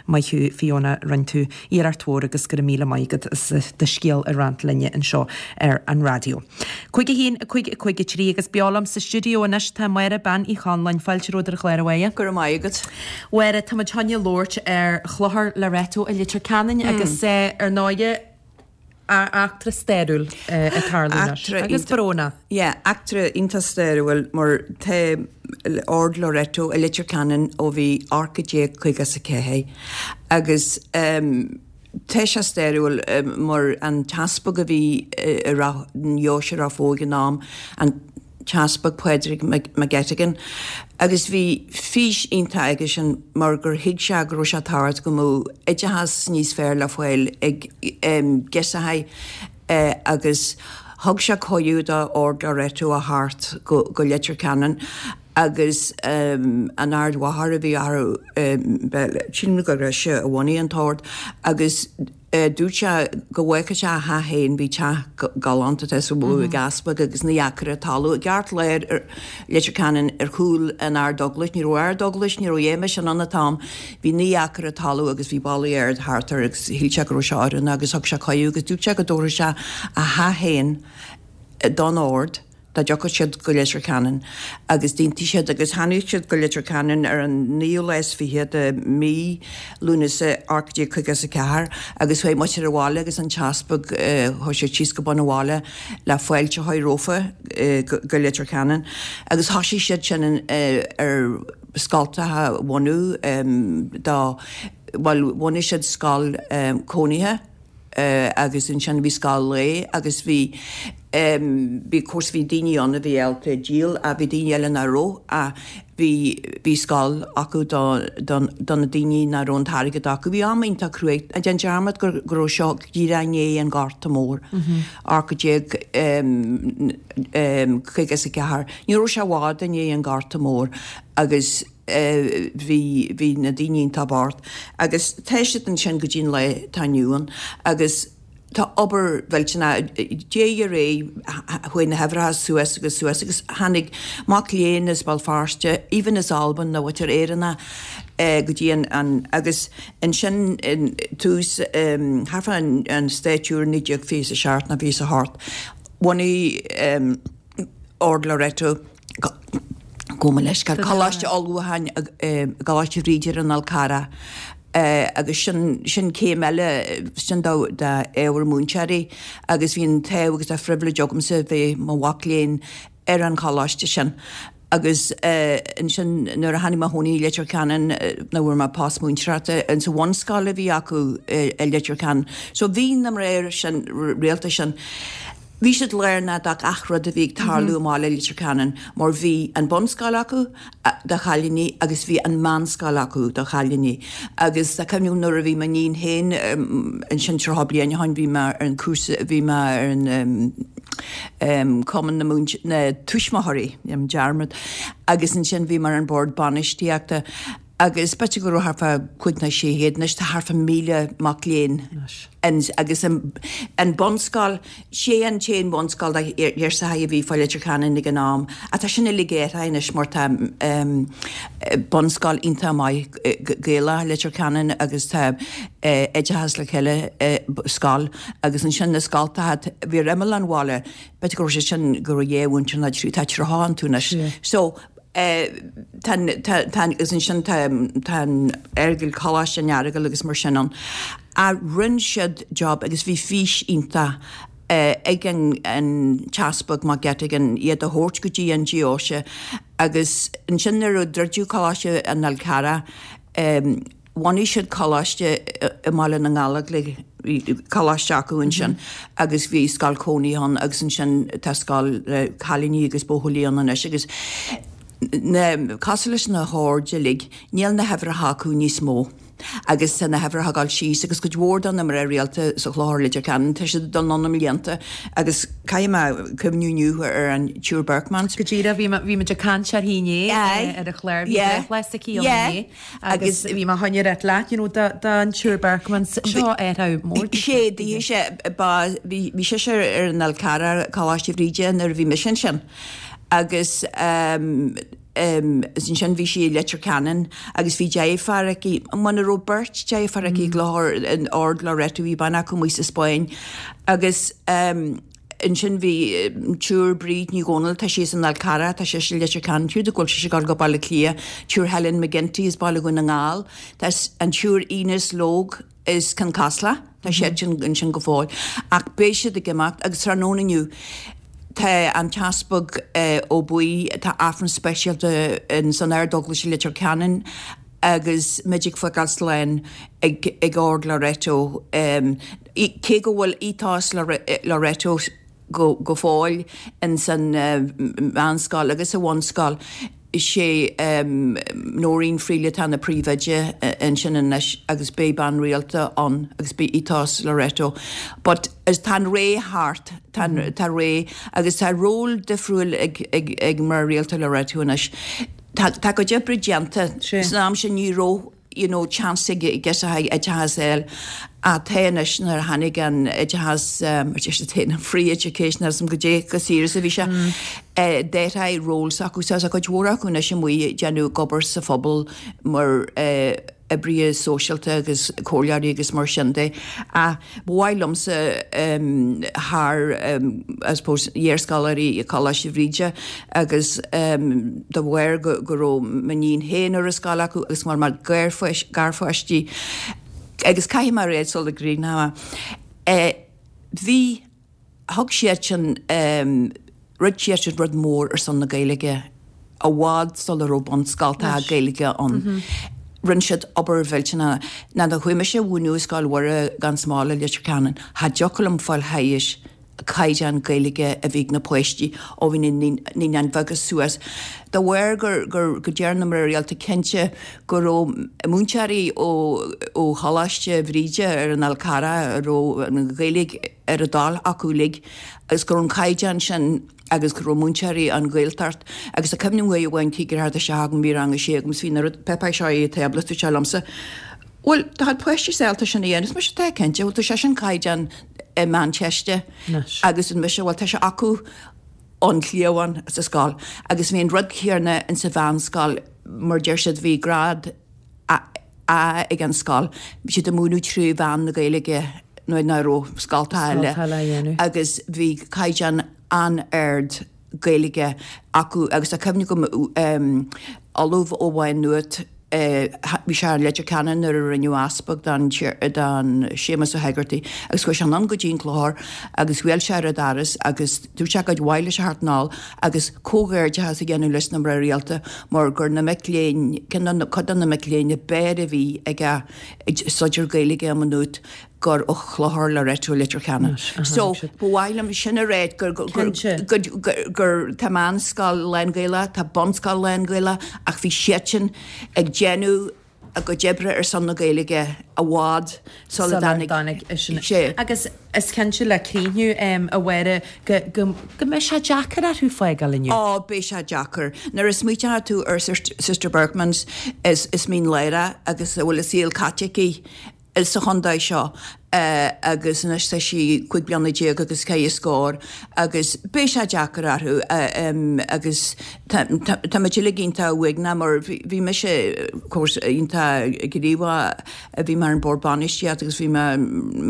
maith thú Fiona, rinne tú iarracht mhór agus go raibh míle maith agat as do scéal a roinnt linne anseo ar an raidió. 5 1 5 5 3 agus beo liom sa stiúideo anois tá Máire Bean Uí Chonláin, fáilte romhat ar an chlár a Mháire. Go raibh maith agat. Mháire, tá muid chun labhairt ar Chlochar Loreto i Leitir Ceanainn agus ar ndóighe eachtra stairiúil ag tarlú anois agus brónach. Yeah, eachtra iontach stairiúil mar tá Ord Loreto i Leitir Ceanainn ó bhí 1854 agus Tá sé stairiúil mar an t-easpag a bhí i Ráth, nDeoise Ráth Bhoth ag an am, an tEaspag Pádraig McGettigan, agus bhí fís iontach aigesean mar gur thuig sé go raibh sé tábhachtach go mbeadh oideachas níos fearr le fáil ag girseachaí agus thug sé cuireadh do Ord Loreto a theacht go Leitir Ceanainn agus an Ard-Mháthair a bhí orthu, sílim gur ise a bhunaigh an t-ord, agus dúirt sé go bhfágfadh sé a theach féin, bhí teach galánta tá sa bhfuath ag easpag agus 9 acra talún i gceartlár Leitir Ceanainn ar chúl an Ardeaglais, ní raibh Ardeaglais, ní raibh a dhath mar sin ann an t-am, bhí 9 acra talún agus bhí ballaí ard thart air agus shíl sé go raibh sé oiriúnach agus thug sé cuireadh agus dúirt sé go dtabharfadh sé a theach féin don ord. dá dtiocfadh siad go Leitir Ceanainn agus d'aontaigh siad agus tháinig siad go Leitir Ceanainn ar an naoú lá is fiche de mí Lúnasa 1854 agus chuaigh muintir an bhaile agus an t-easpag chuaigh siad síos go bun an bhaile le fáilte a chur rófa go Leitir Ceanainn agus thosaigh siad sin ar scoltacha a bhunú do bhuel bhunaigh siad scoil cónaithe agus ansin bhí scoil lae agus bhí bhí of course bhí daoine ann a bhí ábalta díol ach bhí daoine eile nach raibh ach bhí bhí scoil acu do do do na daoine nach raibh an t-airgead acu. Bhí am iontach cruaidh. Ná déan dearmad go go raibh seo díreach i ndiaidh an Ghorta Mór, 1854. Ní raibh sé i bhfad i ndiaidh an Ghorta Mór agus bhí, bhí na daoine iontach bocht agus tá siad ansin go dtí an lá atá inniu ann agus tá obair mhillteanach, diaidh ar aghaidh chuaigh na huimhreacha suas agus suas agus tháinig mac léinn as Béal Feirste, even as Albain nó muintir Éireannach go dtí an, an, agus ansin in tús thart fá an Stáit úr 1927 nó 28 bhunaigh Ord Loreto Gabh mo leithscéal, Coláiste Ullmhúcháin i gColáiste Bhríde ar an Fhál Carrach agus sin, sin céim eile, sin do, d'ábhar múinteoirí agus bhí an t-ádh agus an phribhléid agamsa bheith i mo mhac léinn ar an choláiste sin. Agus ansin nuair a tháinig mé a chónaí i Leitir Ceanainn nuair a fuair mé post múinteoireachta insa bhunscoil a bhí acu i Leitir Ceanainn. So bhí na mná sin, rialta sin, Bhí siad lárnach do gach rud a bhí ag tarlú i mbaile Leitir Ceanainn mar bhí an bunscoil acu do chailíní agus bhí an meánscoil acu do chailíní agus tá cuimhne agam nuair a bhí m'iníon féin ansin 30 bliain ó shin bhí mé ar an cúrsa bhí mé ar an cumann na múint na tuismitheoirí déanaim dearmad agus ansin bhí mé ar an bord bainistíochta. Agus b'fhéidir go raibh thart fá chúig nó 600, anois tá thart fá 1,000 mac léinn ann agus an bunscoil, sé an t-aon bhunscoil do ghirseachaí a bhí fá Leitir Ceanainn ag an am, ach tá sin uilig athraithe anois mar tá bunscoil iontach maith Gaelach i Leitir Ceanainn agus tá Oideachas le Chéile scoil agus ansin na scoltacha, bhí ar imeall an bhaile, b'fhéidir go raibh sé sin go raibh dhá mhúinteoir nó trí, tá 30 iontu anois. So. Tá, tá, agus ansin tá, tá an Earagail, Coláiste an Earagail agus mar sin ann. Ach rinne siad job agus bhí fís iontach ag an, an tEaspag Mac Eiteagáin iad a thabhairt go dtí an deoise agus ansin nuair a druideadh Coláiste an Fhál Carrach, Bhunaigh siad coláiste i mBaile na nGallóglach, bhí coláiste acu ansin agus bhí scoil cónaithe ann agus ansin tá scoil le cailíní agus buachaillí ann anois agus na, cosúil leis na hoird uilig, níl na huimhreacha acu níos mó agus tá na huimhreacha ag dul síos agus cuid mhór de na mná rialta sa Chlochar Leitir Ceanainn, tá siad ag dul anonn i mblianta agus caithfidh mé cuimhniú inniu ar an tSiúr Berchmans. Go díreach, bhí bhí muid ag caint uirthi inné ar an chlár, bhí breithlá s'aici ann inné. Agus bhí mé chun a ráit leat, you know, don tSiúr Berchmans, seo athrú mór. Sé, bhí sé, ba, bhí, bhí sise ar an Fhál Carrach, Coláiste Bhríde nuair a bhí mise ansin. Agus ehm, ehm, ansin bhí sí i Leitir Ceanainn agus bhí deirfiúr aici, muna raibh beirt deirfiúr aici i gClochar, in Ord Loreto, bhí bean acu amuigh sa Spáinn. Agus ehm, Ansin bhí an tSiúr Bríd Ní Dhomhnaill, tá sí as an Fhál Carrach, tá sise i Leitir Ceanainn, siúd go bhfuil sise ag dul go Baile Átha Cliath, tSiúr Helen McGinty as Baile Dhún na nGall, tá an tSiúr Ines Logue as Cionn Caslach, tá siadsan ansin go fóill. Ach beidh siad ag imeacht agus tráthnóna inniu tá an tEaspag Ó Baoill, tá Aifreann speisialta ins an Ardeaglais i Leitir Ceanainn agus muid ag fágáil slán ag Ord Loreto. Cé go bhfuil ethos Loreto go fóill ins an mheánscoil agus sa bhunscoil, is é Noreen Freely atá ina príomhoide ansin anois agus beidh bean rialta ann agus beidh ethos Loreto. But tá an ré thart, tá ré agus tá ról difriúil ag mná rialta Loreto anois. Tá cuid oibre déanta. San am sin ní raibh you know chance ag girseachaí oideachas a fháil ach tá anois nuair a tháinig an oideachas mar deir siad féin an free education agus goidé chomh saor is a bhí sé d'athraigh ról s'acu so tá cuid mhór acu anois amuigh ag déanamh ag obair sa phobal mar oibrithe sóisialta agus comhairleoirí agus mar sin de. Ach ba mhaith liomsa thar I suppose iarscoláirí Choláiste Bhríde agus de bharr go raibh m'iníon féin ar an scoil acu agus mar mar garpháistí agus caithfidh mé a rá sula gcríochnóidh mé bhí Thug siadsan, rinne siadsan rud mór ar son na Gaeilge i bhfad sula raibh bunscoltacha Gaeilge ann. Rinne siad obair mhillteanach. Nuair a chuaigh mise a mhúineadh i Scoil Mhuire gan Smál i Leitir Ceanainn, cha dtiocfadh liom fáil thairis caighdeán Gaeilge a bhí ag na páistí ó bhí na naíonáin bheaga suas. De bharr gur, gur, go deir na mná rialta cinnte go raibh múinteoirí ó, ó Choláiste Bhríde ar an Fhál Carrach a raibh an Ghaeilge ar a dtoil acu uilig agus go raibh an caighdeán sin agus go raibh múinteoirí ón Ghaeltacht agus tá cuimhne agam uair amháin tig ar isteach agam bhí rang a sé agam is bhí na rud páipéir seo ar an tábla dúirt sé liomsa bhuel tá páistí ábalta sin a dhéanamh is mise tá cinnte bhuel tá sé sin caighdeán i Meánteiste agus an mise bhuel tá sé acu ón chliabhán sa scoil agus bhí an rud céanna in sa mheánscoil mar deir siad bhí grád A A ag an scoil. Bhí siad ag múineadh trí mheán na Gaeilge nuair nach raibh scoltacha eile agus bhí caighdeán an-ard Gaeilge acu agus tá cuimhne agam Ollamh ó Mhaigh Nuad, bhí sé i Leitir Ceanainn nuair a rinneadh easpag den Séamus Ó hÉigeartaigh agus chuaigh sé anonn go dtí an Clochar agus bhuail sé ar an doras agus dúirt sé gur mhaith leis a theacht anall agus comhghairdeachas a dhéanamh leis na mná rialta mar gur na mic léinn, cuid de na mic léinn ab fhearr a bhí aige ag staidéar Gaeilge i Maigh Nuad gur ó Chlochar Loreto Leitir Ceanainn. So, ba mhaith liom sin a rá gur gur tá meánscoil lán-Ghaelach, tá bunscoil lán-Ghaelach ach bhí siadsan ag déanamh. a gcuid oibre ar son na Gaeilge i bhfad sula dtáinig sé. Agus is cinnte le críochnú, a Mháire, go go mbeidh sé deacair orthu fágáil inniu. Ó, beidh sé deacair. Nuair a smaoiteoidh tú ar Sister Berchmans as Mín Lárach agus a bhfuil a saol caite aici sa chontae seo agus anois tá sí 15 bliana agus ceithre scór agus beidh sé deacair orthu agus tá muid uilig iontach uaigneach mar bhí mise of course iontach gníomhach bhí mé ar an bord bainistíochta agus bhí mé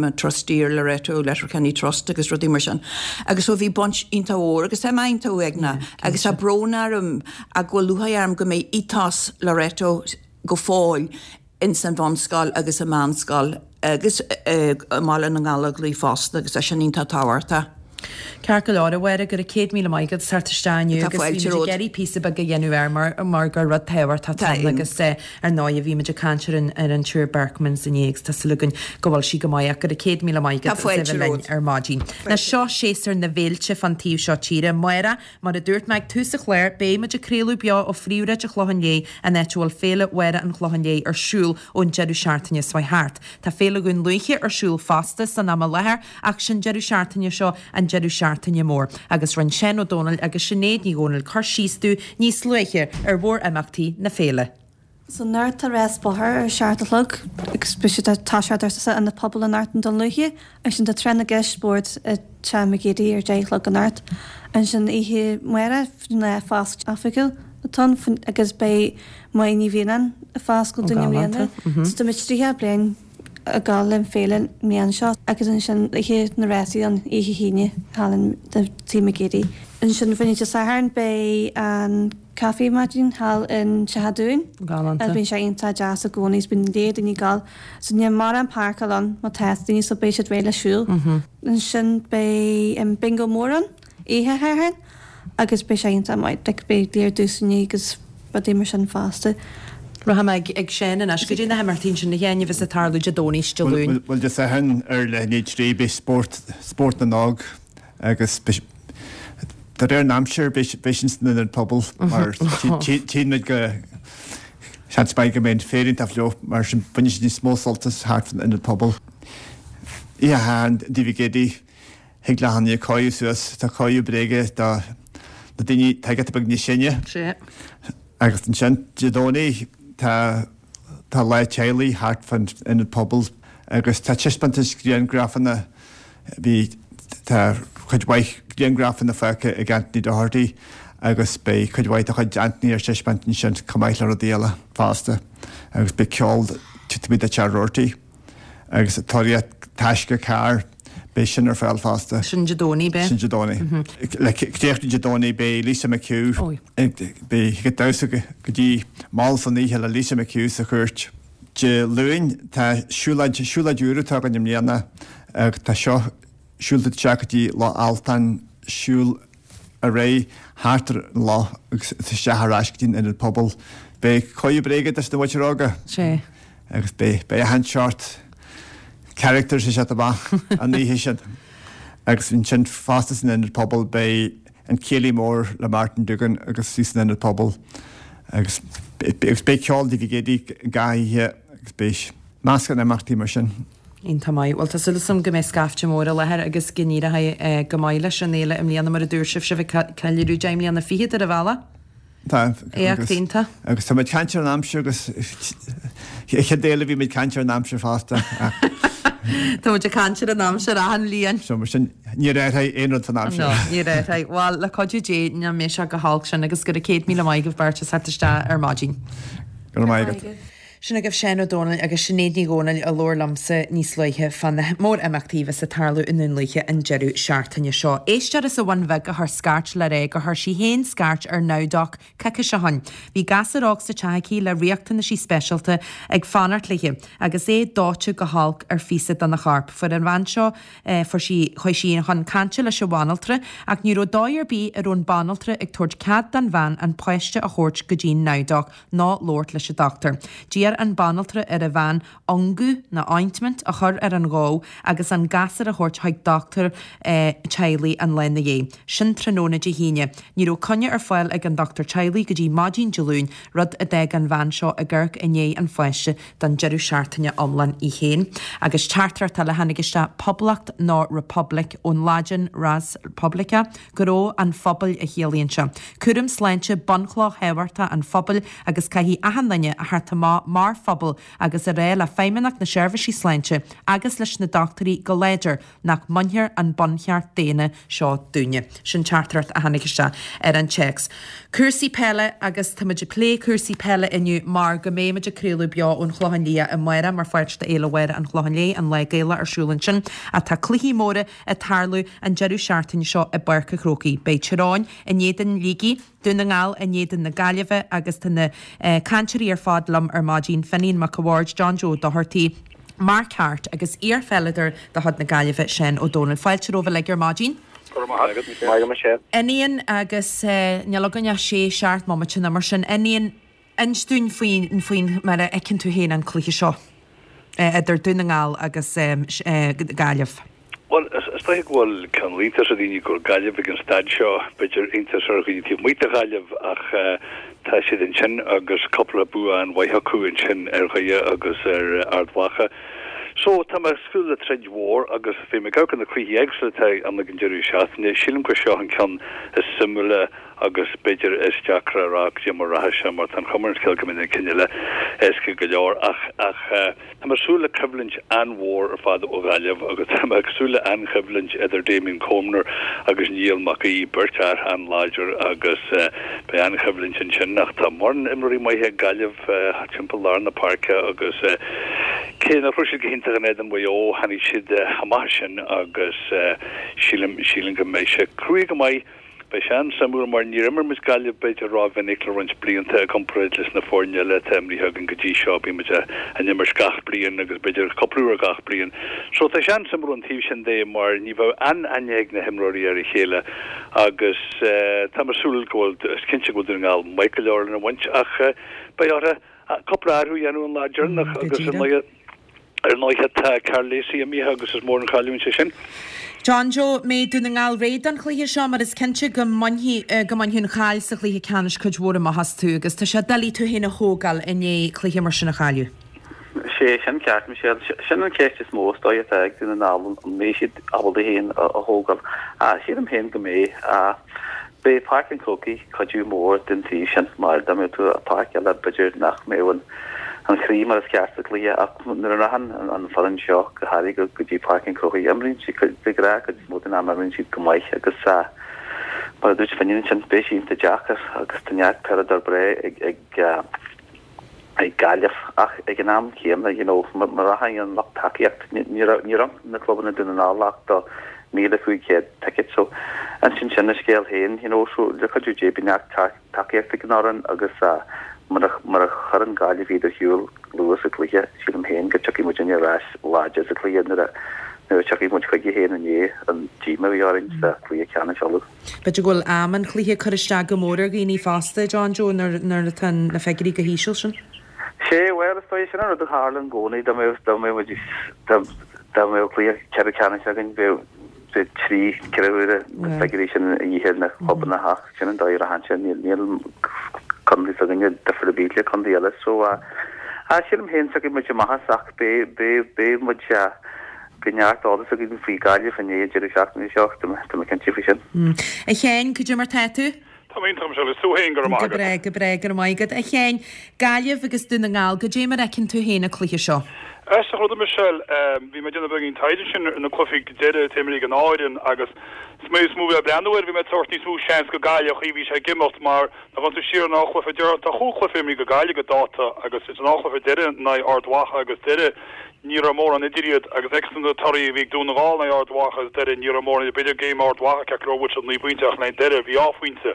mar trustee ar Loreto Letterkenny Trust agus rudaí mar sin agus so bhí baint iontach mhór agus tá mé iontach uaigneach agus tá brón orm ach go bhfuil lúcháir orm go mbeidh ethos Loreto go fóill ins an bhunscoil agus an meánscoil agus i mBaile na nGallóglach fosta agus tá sin iontach tábhachtach. Ceart go leor, a Mháire, go raibh 100,000 maith agat as teacht isteach inniu agus bhí muid ag iarraidh píosa beag a dhéanamh air mar mar gur rud tábhachtach atá ann agus ar ndóigh bhí muid ag caint ar an ar an tSiúr Berchmans inné agus tá súil againn go bhfuil sí go maith ach go raibh 100,000 maith agat as a bheith linn ar maidin. Now seo séasúr na bhféilte fán taobh seo tíre. Amárach Mar a dúirt mé ag tús an chláir, beidh muid ag craoladh beo ó phríomhshráid an Chlocháin Léith, an áit a bhfuil Féile Mháire an Chlocháin Léith ar siúl ón deireadh seachtaine seo thart. Tá Féile Dhún Lúiche ar siúl fosta san am i láthair ach sé'n deireadh seachtaine seo an deireadh seachtaine mór agus rinne Seán Ó Domhnaill agus Sinéad Ní Dhomhnaill cur síos dúinn níos luaithe ar mhór-imeachtaí na féile. So anocht tá rás bóthair ar a 7 a chlog agus beidh siad ag toiseacht ar san Ionad Pobail anocht i nDún Lúiche. Ansin tá Tráth na gCeist Spóirt i Teach McGeady ar 10 a chlog anocht. Ansin oíche amárach lá foscailte oifigiúil atá ann agus beidh Máire Ní Mhianáin ag foscailt dúinn i mbliana. So tá muid 30 bliain ag gabháil le an féile an mbliain seo agus ansin oíche na rásaí an oíche hAoine thall in Tigh McGeady. Ansin faoin Dé Sathairn beidh an Caife maidin thall in Teach a' Dúin. Galánta. Bíonn sé iontach deas i gcónaí is bíonn léar daoine ag gabháil. So níl mórán páirceáil ann má tá daoine so beidh siad réidh le siúl. Ansin beidh an bingo mór ann oíche Shathairn agus beidh sé iontach maith. Like beidh léar duaiseanna agus rudaí mar sin fosta. Rachaidh mé ag ag Seán anois goidé na himeachtaí ansin a Sheáin a bheas ag tarlú Dé Domhnaigh is Dé Luain. Bhuel Dé Sathairn ar leath i ndiaidh 3 beidh spórt spórt na n-óg agus beidh de réir an aimsir beidh sin san ionad pobail mar tchíonn muid go seans maith go mbeidh an féar iontach fliuch mar sin bainfidh siad níos mó sult as thart fan ionad pobail. Oíche Shathairn Tigh McGeady thig le achan duine cóiriú suas tá cóiriú bréige do na daoine atá giota beag níos sine. Agus ansin Dé Domhnaigh tá Tá lá teaghlaigh thart fán ionad pobail agus tá taispeántas grianghrafanna, bhí, tá cuid mhaith grianghrafanna fágtha ag Anthony Doherty agus beidh cuid mhaith de chuid Anthony ar taispeáint ansin chomh maith le rudaí eile fosta agus beidh ceol taobh amuigh de Teach Roarty agus tóraíocht taisce carr, beidh sin ar fáil fosta. Sin Dé Domhnaigh, beidh? Sin Dé Domhnaigh. Le críochnú Dé Domhnaigh beidh Lisa McHugh beidh ag damhsa go dtí mall san oíche le Lisa McHugh sa chúirt. Dé Luain tá siúlóid, siúlóid úr atá againn i mbliana agus tá seo siúlóid isteach go dtí Loch Altáin, siúl ar aghaidh thart ar an loch agus isteach ar ais go dtí an ionad pobail. Beidh cóiriú bréige dos na mhuintir óga. Sea. Agus beidh, beidh achan seort characters ag teacht amach an oíche sin. Agus ansin fosta san ionad pobail beidh an céilí mór le Martin Duggan agus í san ionad pobail. Agus agus beidh ceol Davy Gady gach oíche agus beidh meascán imeachtaí mar sin. Iontach maith. Bhuel tá súil agam go mbeidh scaifte mór i láthair agus go n-éireoidh go maith leis an fhéile i mbliana mar a dúirt sibh, sibh ag ceiliúradh 10 mbliana fichead ar an bhealach. Tá. Éacht iontach. Agus tá muid ag caint ar an aimsir agus an chéad fhéile bhí muid ag caint ar an aimsir fosta. Tá muid ag caint ar an aimsir achan bhliain. So mar sin níor athraigh aon rud san aimsir. No, níor athraigh. Bhuel, le cuidiú Dé, nach mbeidh sé go holc sin agus go raibh 100,000 maith agaibh beirt as theacht isteach ar maidin. Go raibh maith agat. Sin agaibh Seán Ó Domhnaill agus Sinéad Ní Dhomhnaill a labhair liomsa níos luaithe fá na mór-imeachtaí a bheas ag tarlú i nDún Lúiche an deireadh seachtaine seo. Éisteoir as an Bhun Bheag a chuir scairt le rá gur chuir sí féin scairt ar NowDoc coicís ó shin. Bhí gasúr óg sa teach aici le riachtanaisí speisialta ag fanacht léi agus é dóite go holc ar phíosa dena chorp. Fuair an bhean seo, fuair sí, chuaigh sí chun cainte leis an bhanaltra ach ní raibh dóigh ar bith a raibh an banaltra ag tabhairt cead don bhean an páiste a thabhairt go dtí'n NowDoc. ná labhairt leis an dochtúir. D'iarr an banaltra ar an bhean ungadh, nó ointment, a chur ar an ghob agus an gasúr a thabhairt chuig dochtúir teaghlaigh an lá ina dhiaidh. Sin tráthnóna Dé hAoine. Ní raibh coinne ar fáil ag an dochtúir teaghlaigh go dtí maidin Dé Luain, rud a d'fhág an bhean seo ag amharc i ndiaidh an pháiste don deireadh seachtaine iomlán í féin. Agus teachtaireacht eile a tháinig isteach, Poblacht nó Republic, ón Laidin res publica, gnó an phobail a chiallaíonn sé. Cúram sláinte bunchloch thábhachtach an phobail agus caithfidh achan duine a theacht amach mar phobal agus a rá le Feidhmeannacht na Seirbhísí Sláinte agus leis na dochtúirí go láidir nach mbainfear an buncheart daonna seo dúinne. Sin teachtaireacht a tháinig isteach ar an téacs. Cúrsaí peile agus tá muid ag plé cúrsaí peile inniu mar go mbeidh muid ag craoladh beo ón Chlochán Liath amárach mar pháirt de Fhéile Mháire an Chlocháin Léith, an Lá Gaelach ar siúl ansin. Ach tá cluichí móra ag tarlú an deireadh seachtaine seo i bPáirc an Chrócaigh. Beidh Tír Eoghain in éadan Shligigh, Dún na nGall in éadan na Gaillimhe agus tá na cainteoirí ar fad liom ar maidin, Finian Mac a' Bhaird, John Joe Doherty, Mark Harte agus iarpheileadóir de chuid na Gaillimhe, Seán Ó Domhnaill. Fáilte romhaibh uilig ar maidin. Go raibh maith agat, Michelle. Maith agat, Michelle. Finian agus níl againn ach sé, seacht mbomaite nó mar sin. Finian, Inis dúinn faoin, faoin, mar a fheiceann tú féin an cluiche seo idir Dún na nGall agus Gaillimh. Bhuel, is dóiche go bhfuil cineál iontas ar dhaoine go bhfuil Gaillimh ag an staid seo, b'fhéidir iontas ar dhaoine taobh amuigh de Ghaillimh ach tá siad ansin agus cúpla bua an-mhaith acu ansin ar Dhoire agus ar Ard Mhacha. So, tá mé ag súil le troid mhór agus bhí mé ag amharc ar na cluichí éagsúla atá ann ag an deireadh seachtaine. Sílim gur seo an ceann is suimiúla agus b'fhéidir is deacra a rá goidé mar a rachaidh sé mar tá an chuma ar an scéal go mbeidh na cinn eile éasca go leor ach ach tá mé ag súil le coimhlint an-mhór ar fad ó Ghaillimh agus tá mé ag súil le an-choimhlint idir Damien Comer agus Niall Mac Aoidh, beirt fhear an-láidir agus beidh an-choimhlint ansin ach tá mórán imreoirí maithe ag Gaillimh timpeall lár na páirce agus cé nach raibh siad go hiontach in éadan Mhaigh Eo tháinig siad amach as sin agus sílim sílim go mbeidh sé cruaidh go maith. Beidh sé an-suimiúil mar níor imir muid Gaillimh b'fhéidir ró-mhinic le roinnt blianta i gcomparáid leis na foirne eile atá imrithe againn go dtí seo. Bíonn muid á n-imirt gach bliain agus b'fhéidir cúpla uair gach bliain. So tá sé an-suimiúil ón taobh sin de mar ní bheadh an-aithne ag na himreoirí ar a chéile agus tá mé ag súil go bhfuil, is cinnte go bhfuil Dún na nGall maith go leor lena bhaint ach beidh orthu cúpla athrú a dhéanamh an lá deireanach Go agus ar díreach. ndóigh Ar ndóighe tá Karl Lacey imithe agus is mór an chailliúint é sin. John Joe, mbeidh Dún na nGall réidh don chluiche seo mar is cinnte go mbainfidh go mbainfidh an chaill sa chluiche ceannais cuid mhór amach astu agus tá sé doiligh tú féin a thógáil i ndiaidh cluiche mar sin a chailleadh. Sé sin ceart, Michelle. Sin an cheist is mó is dóigh atá ag Dún na nGall, an mbeidh siad ábalta iad féin a thógáil. Sílim féin go mbeidh. Beidh Páirc an Chrócaigh cuidiú mór den taobh sin mar dá mbeadh tú i páirc eile b'fhéidir nach mbeadh an an chroí mar is ceart sa chluiche ach nuair a rachann an foireann seo go háirithe go go dtí Páirc an Chrócaigh imríonn siad de ghnáth cuid is mó den am imríonn siad go maith agus mar a dúirt Finian ansin beidh sé iontach deacair agus tá neart peileadóir breá ag ag ag Gaillimh ach ag an am céanna you know má rachaidh an lucht tacaíocht ní raibh ní raibh na clubanna Dún na nGall ach do 1,500 ticket so insíonn sin a scéal féin you know so le cuidiú Dé beidh neart tacaíocht ag an fhoireann agus mura mura chuireann Gaillimh iad ar shiúl luath sa chluiche sílim féin go dtiocfaidh muidinne ar ais láidir sa chluiche nuair a nuair a tiocfaidh muid chuige féin i ndiaidh an díoma a bhí orainn sa chluiche ceannais Uladh. B'fhéidir go bhfuil am an chluiche ag cur isteach go mór ar dhaoine fosta, John Joe, nuair atá na figiúirí chomh híseal sin. Sé, bhuel, is dóigh, sin an rud a tharla i gcónaí, dá mbeadh, dá mbeadh muid, dá, dá mbeadh cluiche ceathrú ceannais againn, bheadh, bheadh trí, ceithre huaire na figiúirí sin a dhíth ar na clubanna ach sin an dóigh a rachann sé, níl, níl contae s'againne difear ar bith le contae eile. So, ah, sílim féin, tiocfaidh muid amach as ach beidh, beidh, beidh muid, ah, Beidh neart eolas againn faoi Gaillimh i ndiaidh an deireadh seachtaine seo, tá mé cinnte faoi sin. A Sheáin, cad é mar tá tú? Tá mé iontach, Michelle, is tú féin, go raibh maith Go agat. breá, go breá, go raibh maith agat. A Sheáin, Gaillimh agus Dún na nGall, cad é mar a fheiceann tú féin an cluiche seo? Aisteach rud, a Michelle, bhí mé ag déanamh beagáinín taighde ansin ar na cluichí deiridh atá imeartha ag an dá fhoireann agus is mé is mó a bhí ag breathnú air, bhí mé ag tabhairt níos mó seans go Gaillimh an chaoi a bhí sé ag imeacht mar Má ghabhann tú siar an dá chluiche deireadh, tá chúig chluiche imeartha ag Gaillimh go dáta agus ins an dá chluiche deireadh in aghaidh Ard Mhacha agus Doire ní raibh mórán idir iad agus fheiceann tú na torthaí a bhí ag Dún na nGall in aghaidh Ard Mhacha agus Doire ní raibh mórán idir, b'fhéidir game Ard Mhacha ceart go leor bhuaigh siad 9 bpointe ach in aghaidh Doire bhí dhá phointe.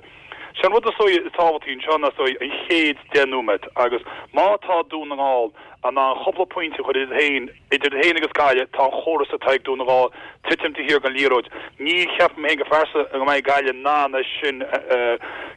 Sé an rud is dóigh is tábhachtaí anseo ná is dóigh an chéad deich nóiméad agus má tá Dún na nGall in ann cúpla pointe a chur idir féin, idir iad féin agus Gaillimh, tá an chóras atá ag Dún na nGall titim taobh thiar den liathróid. Ní cheapaim féin go pearsanta go mbeidh Gaillimh in ann é sin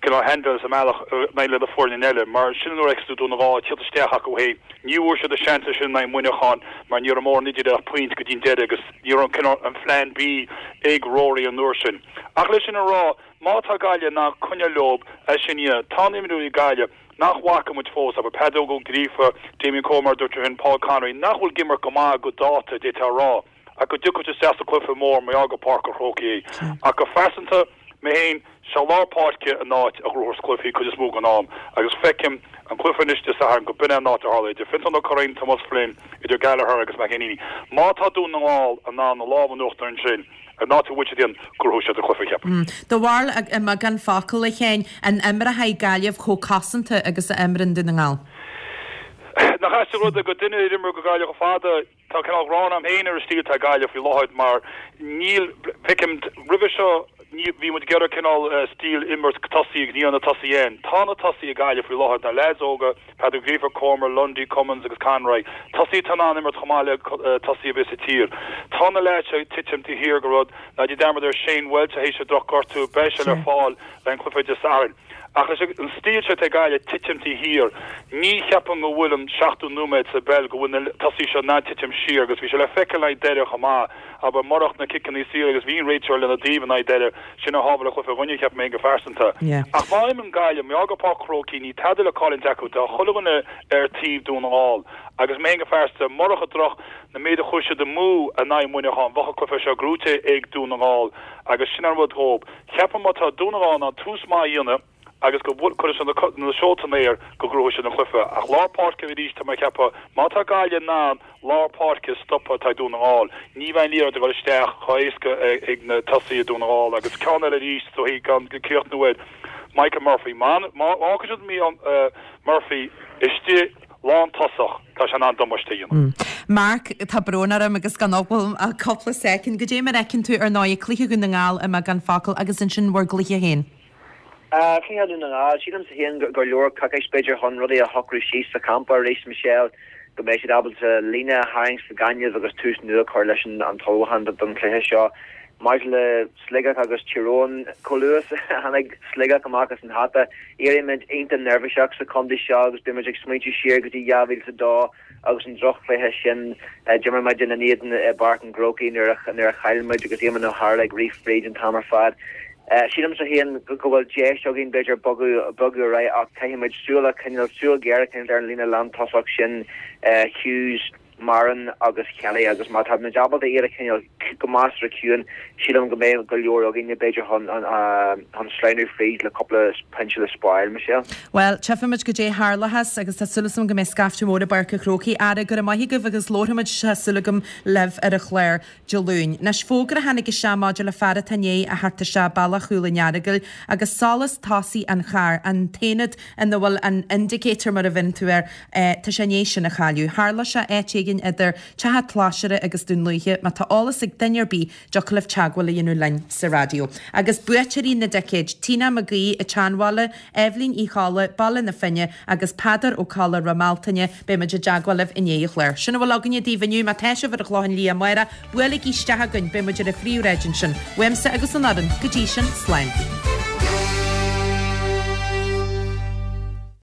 cineál a handle sa mbealach in aghaidh le na foirne eile mar sin an uair a fheiceas tú Dún na nGall ag tíocht isteach acu féin. Ní bhfuair siad a seans sin in aghaidh Muineacháin mar ní raibh mórán idir ach pointe go dtí an deireadh agus ní raibh an cineál an phlean B ag Rory an uair sin. Ach leis sin a rá, má tá Gaillimh in ann coinneáil leob é sin a dhéanamh, tá na himreoirí ag Gaillimh nach bhfaca muid fós, abair Peadar Ó Gríofa, Damien Comer mar a dúirt tú féin, Paul Conroy, nach bhfuil ag imirt go maith go dáta, d'fhéadfá a rá, ach go dtiocfaidh siad isteach sa cluiche mór mar gheall gur Páirc an Chrócaigh é. Ach go phearsanta, mé féin, sé lár páirce an áit a ghnóthós cluichí cuid is mó den am agus feicim an cluiche anois Dé Sathairn go b'in é an áit a tharlóidh idir Fionntán Ó Curraoin, Tomás Flynn, idir Gallagher agus McEneaney. Má tá Dún na nGall in ann a lámh in uachtar ansin, an áit a bhfuil siad féin, gnóthóidh siad an cluiche, cheapfainn. Do bharúil i mbeagán focal, a Sheáin, an imreoidh Gaillimh chomh cosanta agus a imríonn Dún na nGall? Nach aisteach an rud é go duine ar imir go Gaillimh chomh fada, Tá cineál gráin agam féin ar an stíl atá ag Gaillimh faoi láthair mar níl, feicim, roimhe seo ní, bhí muid ag iarraidh cineál stíl imirt tosaí agus ní raibh na tosaithe ann. Tá na tosaithe ag Gaillimh faoi láthair, na leaids óga, Peadar Ó Gríofa, Comer, Lundy, Cummins agus Conroy, tosaithe atá in ann imirt chomh maith le tosaithe ar bith sa tír. Tá na leaids seo ag titim taobh thiar de rud, ná déan dearmad ar Shane Walsh théis an droch-ghortú, beidh sé le fáil le an cluiche Dé Sathairn. Ach leis an stíl seo atá ag Gaillimh, titim taobh thiar, ní cheapaim go bhfuil an seachtú nóiméad sa bpeil go bhfuil na tosaithe seo in ann titim siar agus bhí sé le feiceáil in aghaidh Doire chomh maith, abair, murach na ciceanna saora agus bhí an réiteoir lena dtaobh in aghaidh Doire, sin a shábháil an cluiche dhúinne, cheap mé féin go phearsanta. Ach má imríonn Gaillimh, mar gheall gur Páirc an Chrócaigh, ní tada le cailliúint acu, tá chuile dhuine ar taobh Dún na nGall agus mé féin go phearsanta, murach an droch, na méid a chuir siad amú in aghaidh Muineacháin, bheadh an cluiche seo gnóite ag Dún na nGall agus sin an rud dhób. Ceapaim má tá Dún na nGall in ann tús maith a dhéanamh agus go gcuirfidh siad na seolta in aer go ngnóthóidh siad an cluiche. Ach lár páirce arís tá mé ag ceapadh má tá Gaillimh in ann lár páirce a stopadh atá ag Dún na nGall, ní bheidh an liathróid ag dul isteach chomh héasca ag na tosaithe i Dún na nGall. Agus ceann eile arís is dóichí gan críochnú air, Michael Murphy. Má fhágann siad Murphy istigh lántosach, tá sé in ann damáiste a dhéanamh. Mark, tá brón orm agus gan bhfuil ach cúpla soicind. Goidé mar a fheiceann tú ar ndóigh cluiche Dhún na nGall i mbeagán focal agus ansin bhur gcluiche féin. Cluiche Dhún na nGall, sílimse féin gur leor coicís b'fhéidir chun rudaí a shocrú síos sa champa arís, Michelle, go mbeidh siad ábalta líne a tharraingt sa ghaineamh agus tús nua a chur leis an t-ullmhúchán don chluiche seo. Maidir le Sligeach agus Tír Eoghain, chomh luath is a tháinig Sligeach amach as an hata, éirímid iontach neirbhíseach sa chontae seo agus bímid ag smaointiú siar go dtí 2002 agus an droch-chluiche sin a d'imir muid ina n-éadan i bPáirc an Chrócaigh nuair a chaill muid agus Éamonn Ó hEarla ag rith fríd an t-am ar fad. Sílimse féin go bhfuil deis againn b'fhéidir bogadh bogadh ar aghaidh ach caithfimid súil a choinneáil, súil ghéar a choinneáil ar an líne lántosach sin, Hughes, Moran agus Kelly agus má tá muid ábalta iad a choinneáil go measartha ciúin, sílim go mbeidh go leor againne b'fhéidir chun chun sleamhnú fríd le cúpla pointe le spáráil, Michelle. Bhuel, tchífimid goidé tharlóchas agus tá súil agam go mbeidh scaifte mór i bPáirc an Chrócaigh. Ara, go raibh maith agaibh agus labharfaimid, tá súil agam, libh ar an chlár Dé Luain. Anois, fógra a tháinig isteach maidir le fear atá i ndiaidh a theacht isteach bealach Chúil an Earagail agus solas tosaigh an chairr, an t-aonad ina bhfuil an indicator mar a bheireann tú air, tá sé i ndiaidh sin a chailleadh. Tharla sé áit éigin idir Teach a' tSlaisire agus Dún Lúiche. Má tá eolas ag duine ar bith, dtiocfadh libh teagmháil a dhéanamh linn sa raidió. Agus buaiteoirí na dticéid, Tina Mac Aoidh, an tSeanbhaile, Eibhlín Uí Cholla, Baile na Finne, agus Peadar Ó Colla, Ráth Mealtaine, beidh muid i dteagmháil libh i ndiaidh an chláir. Sin a bhfuil againne daoibh inniu. Má tá sibh ar an Chlochán Liath amárach, buailigí isteach chugainn, beidh muid ar an phríomhshráid ansin. Uaimse agus ón fhoireann, go dtí sin, slán.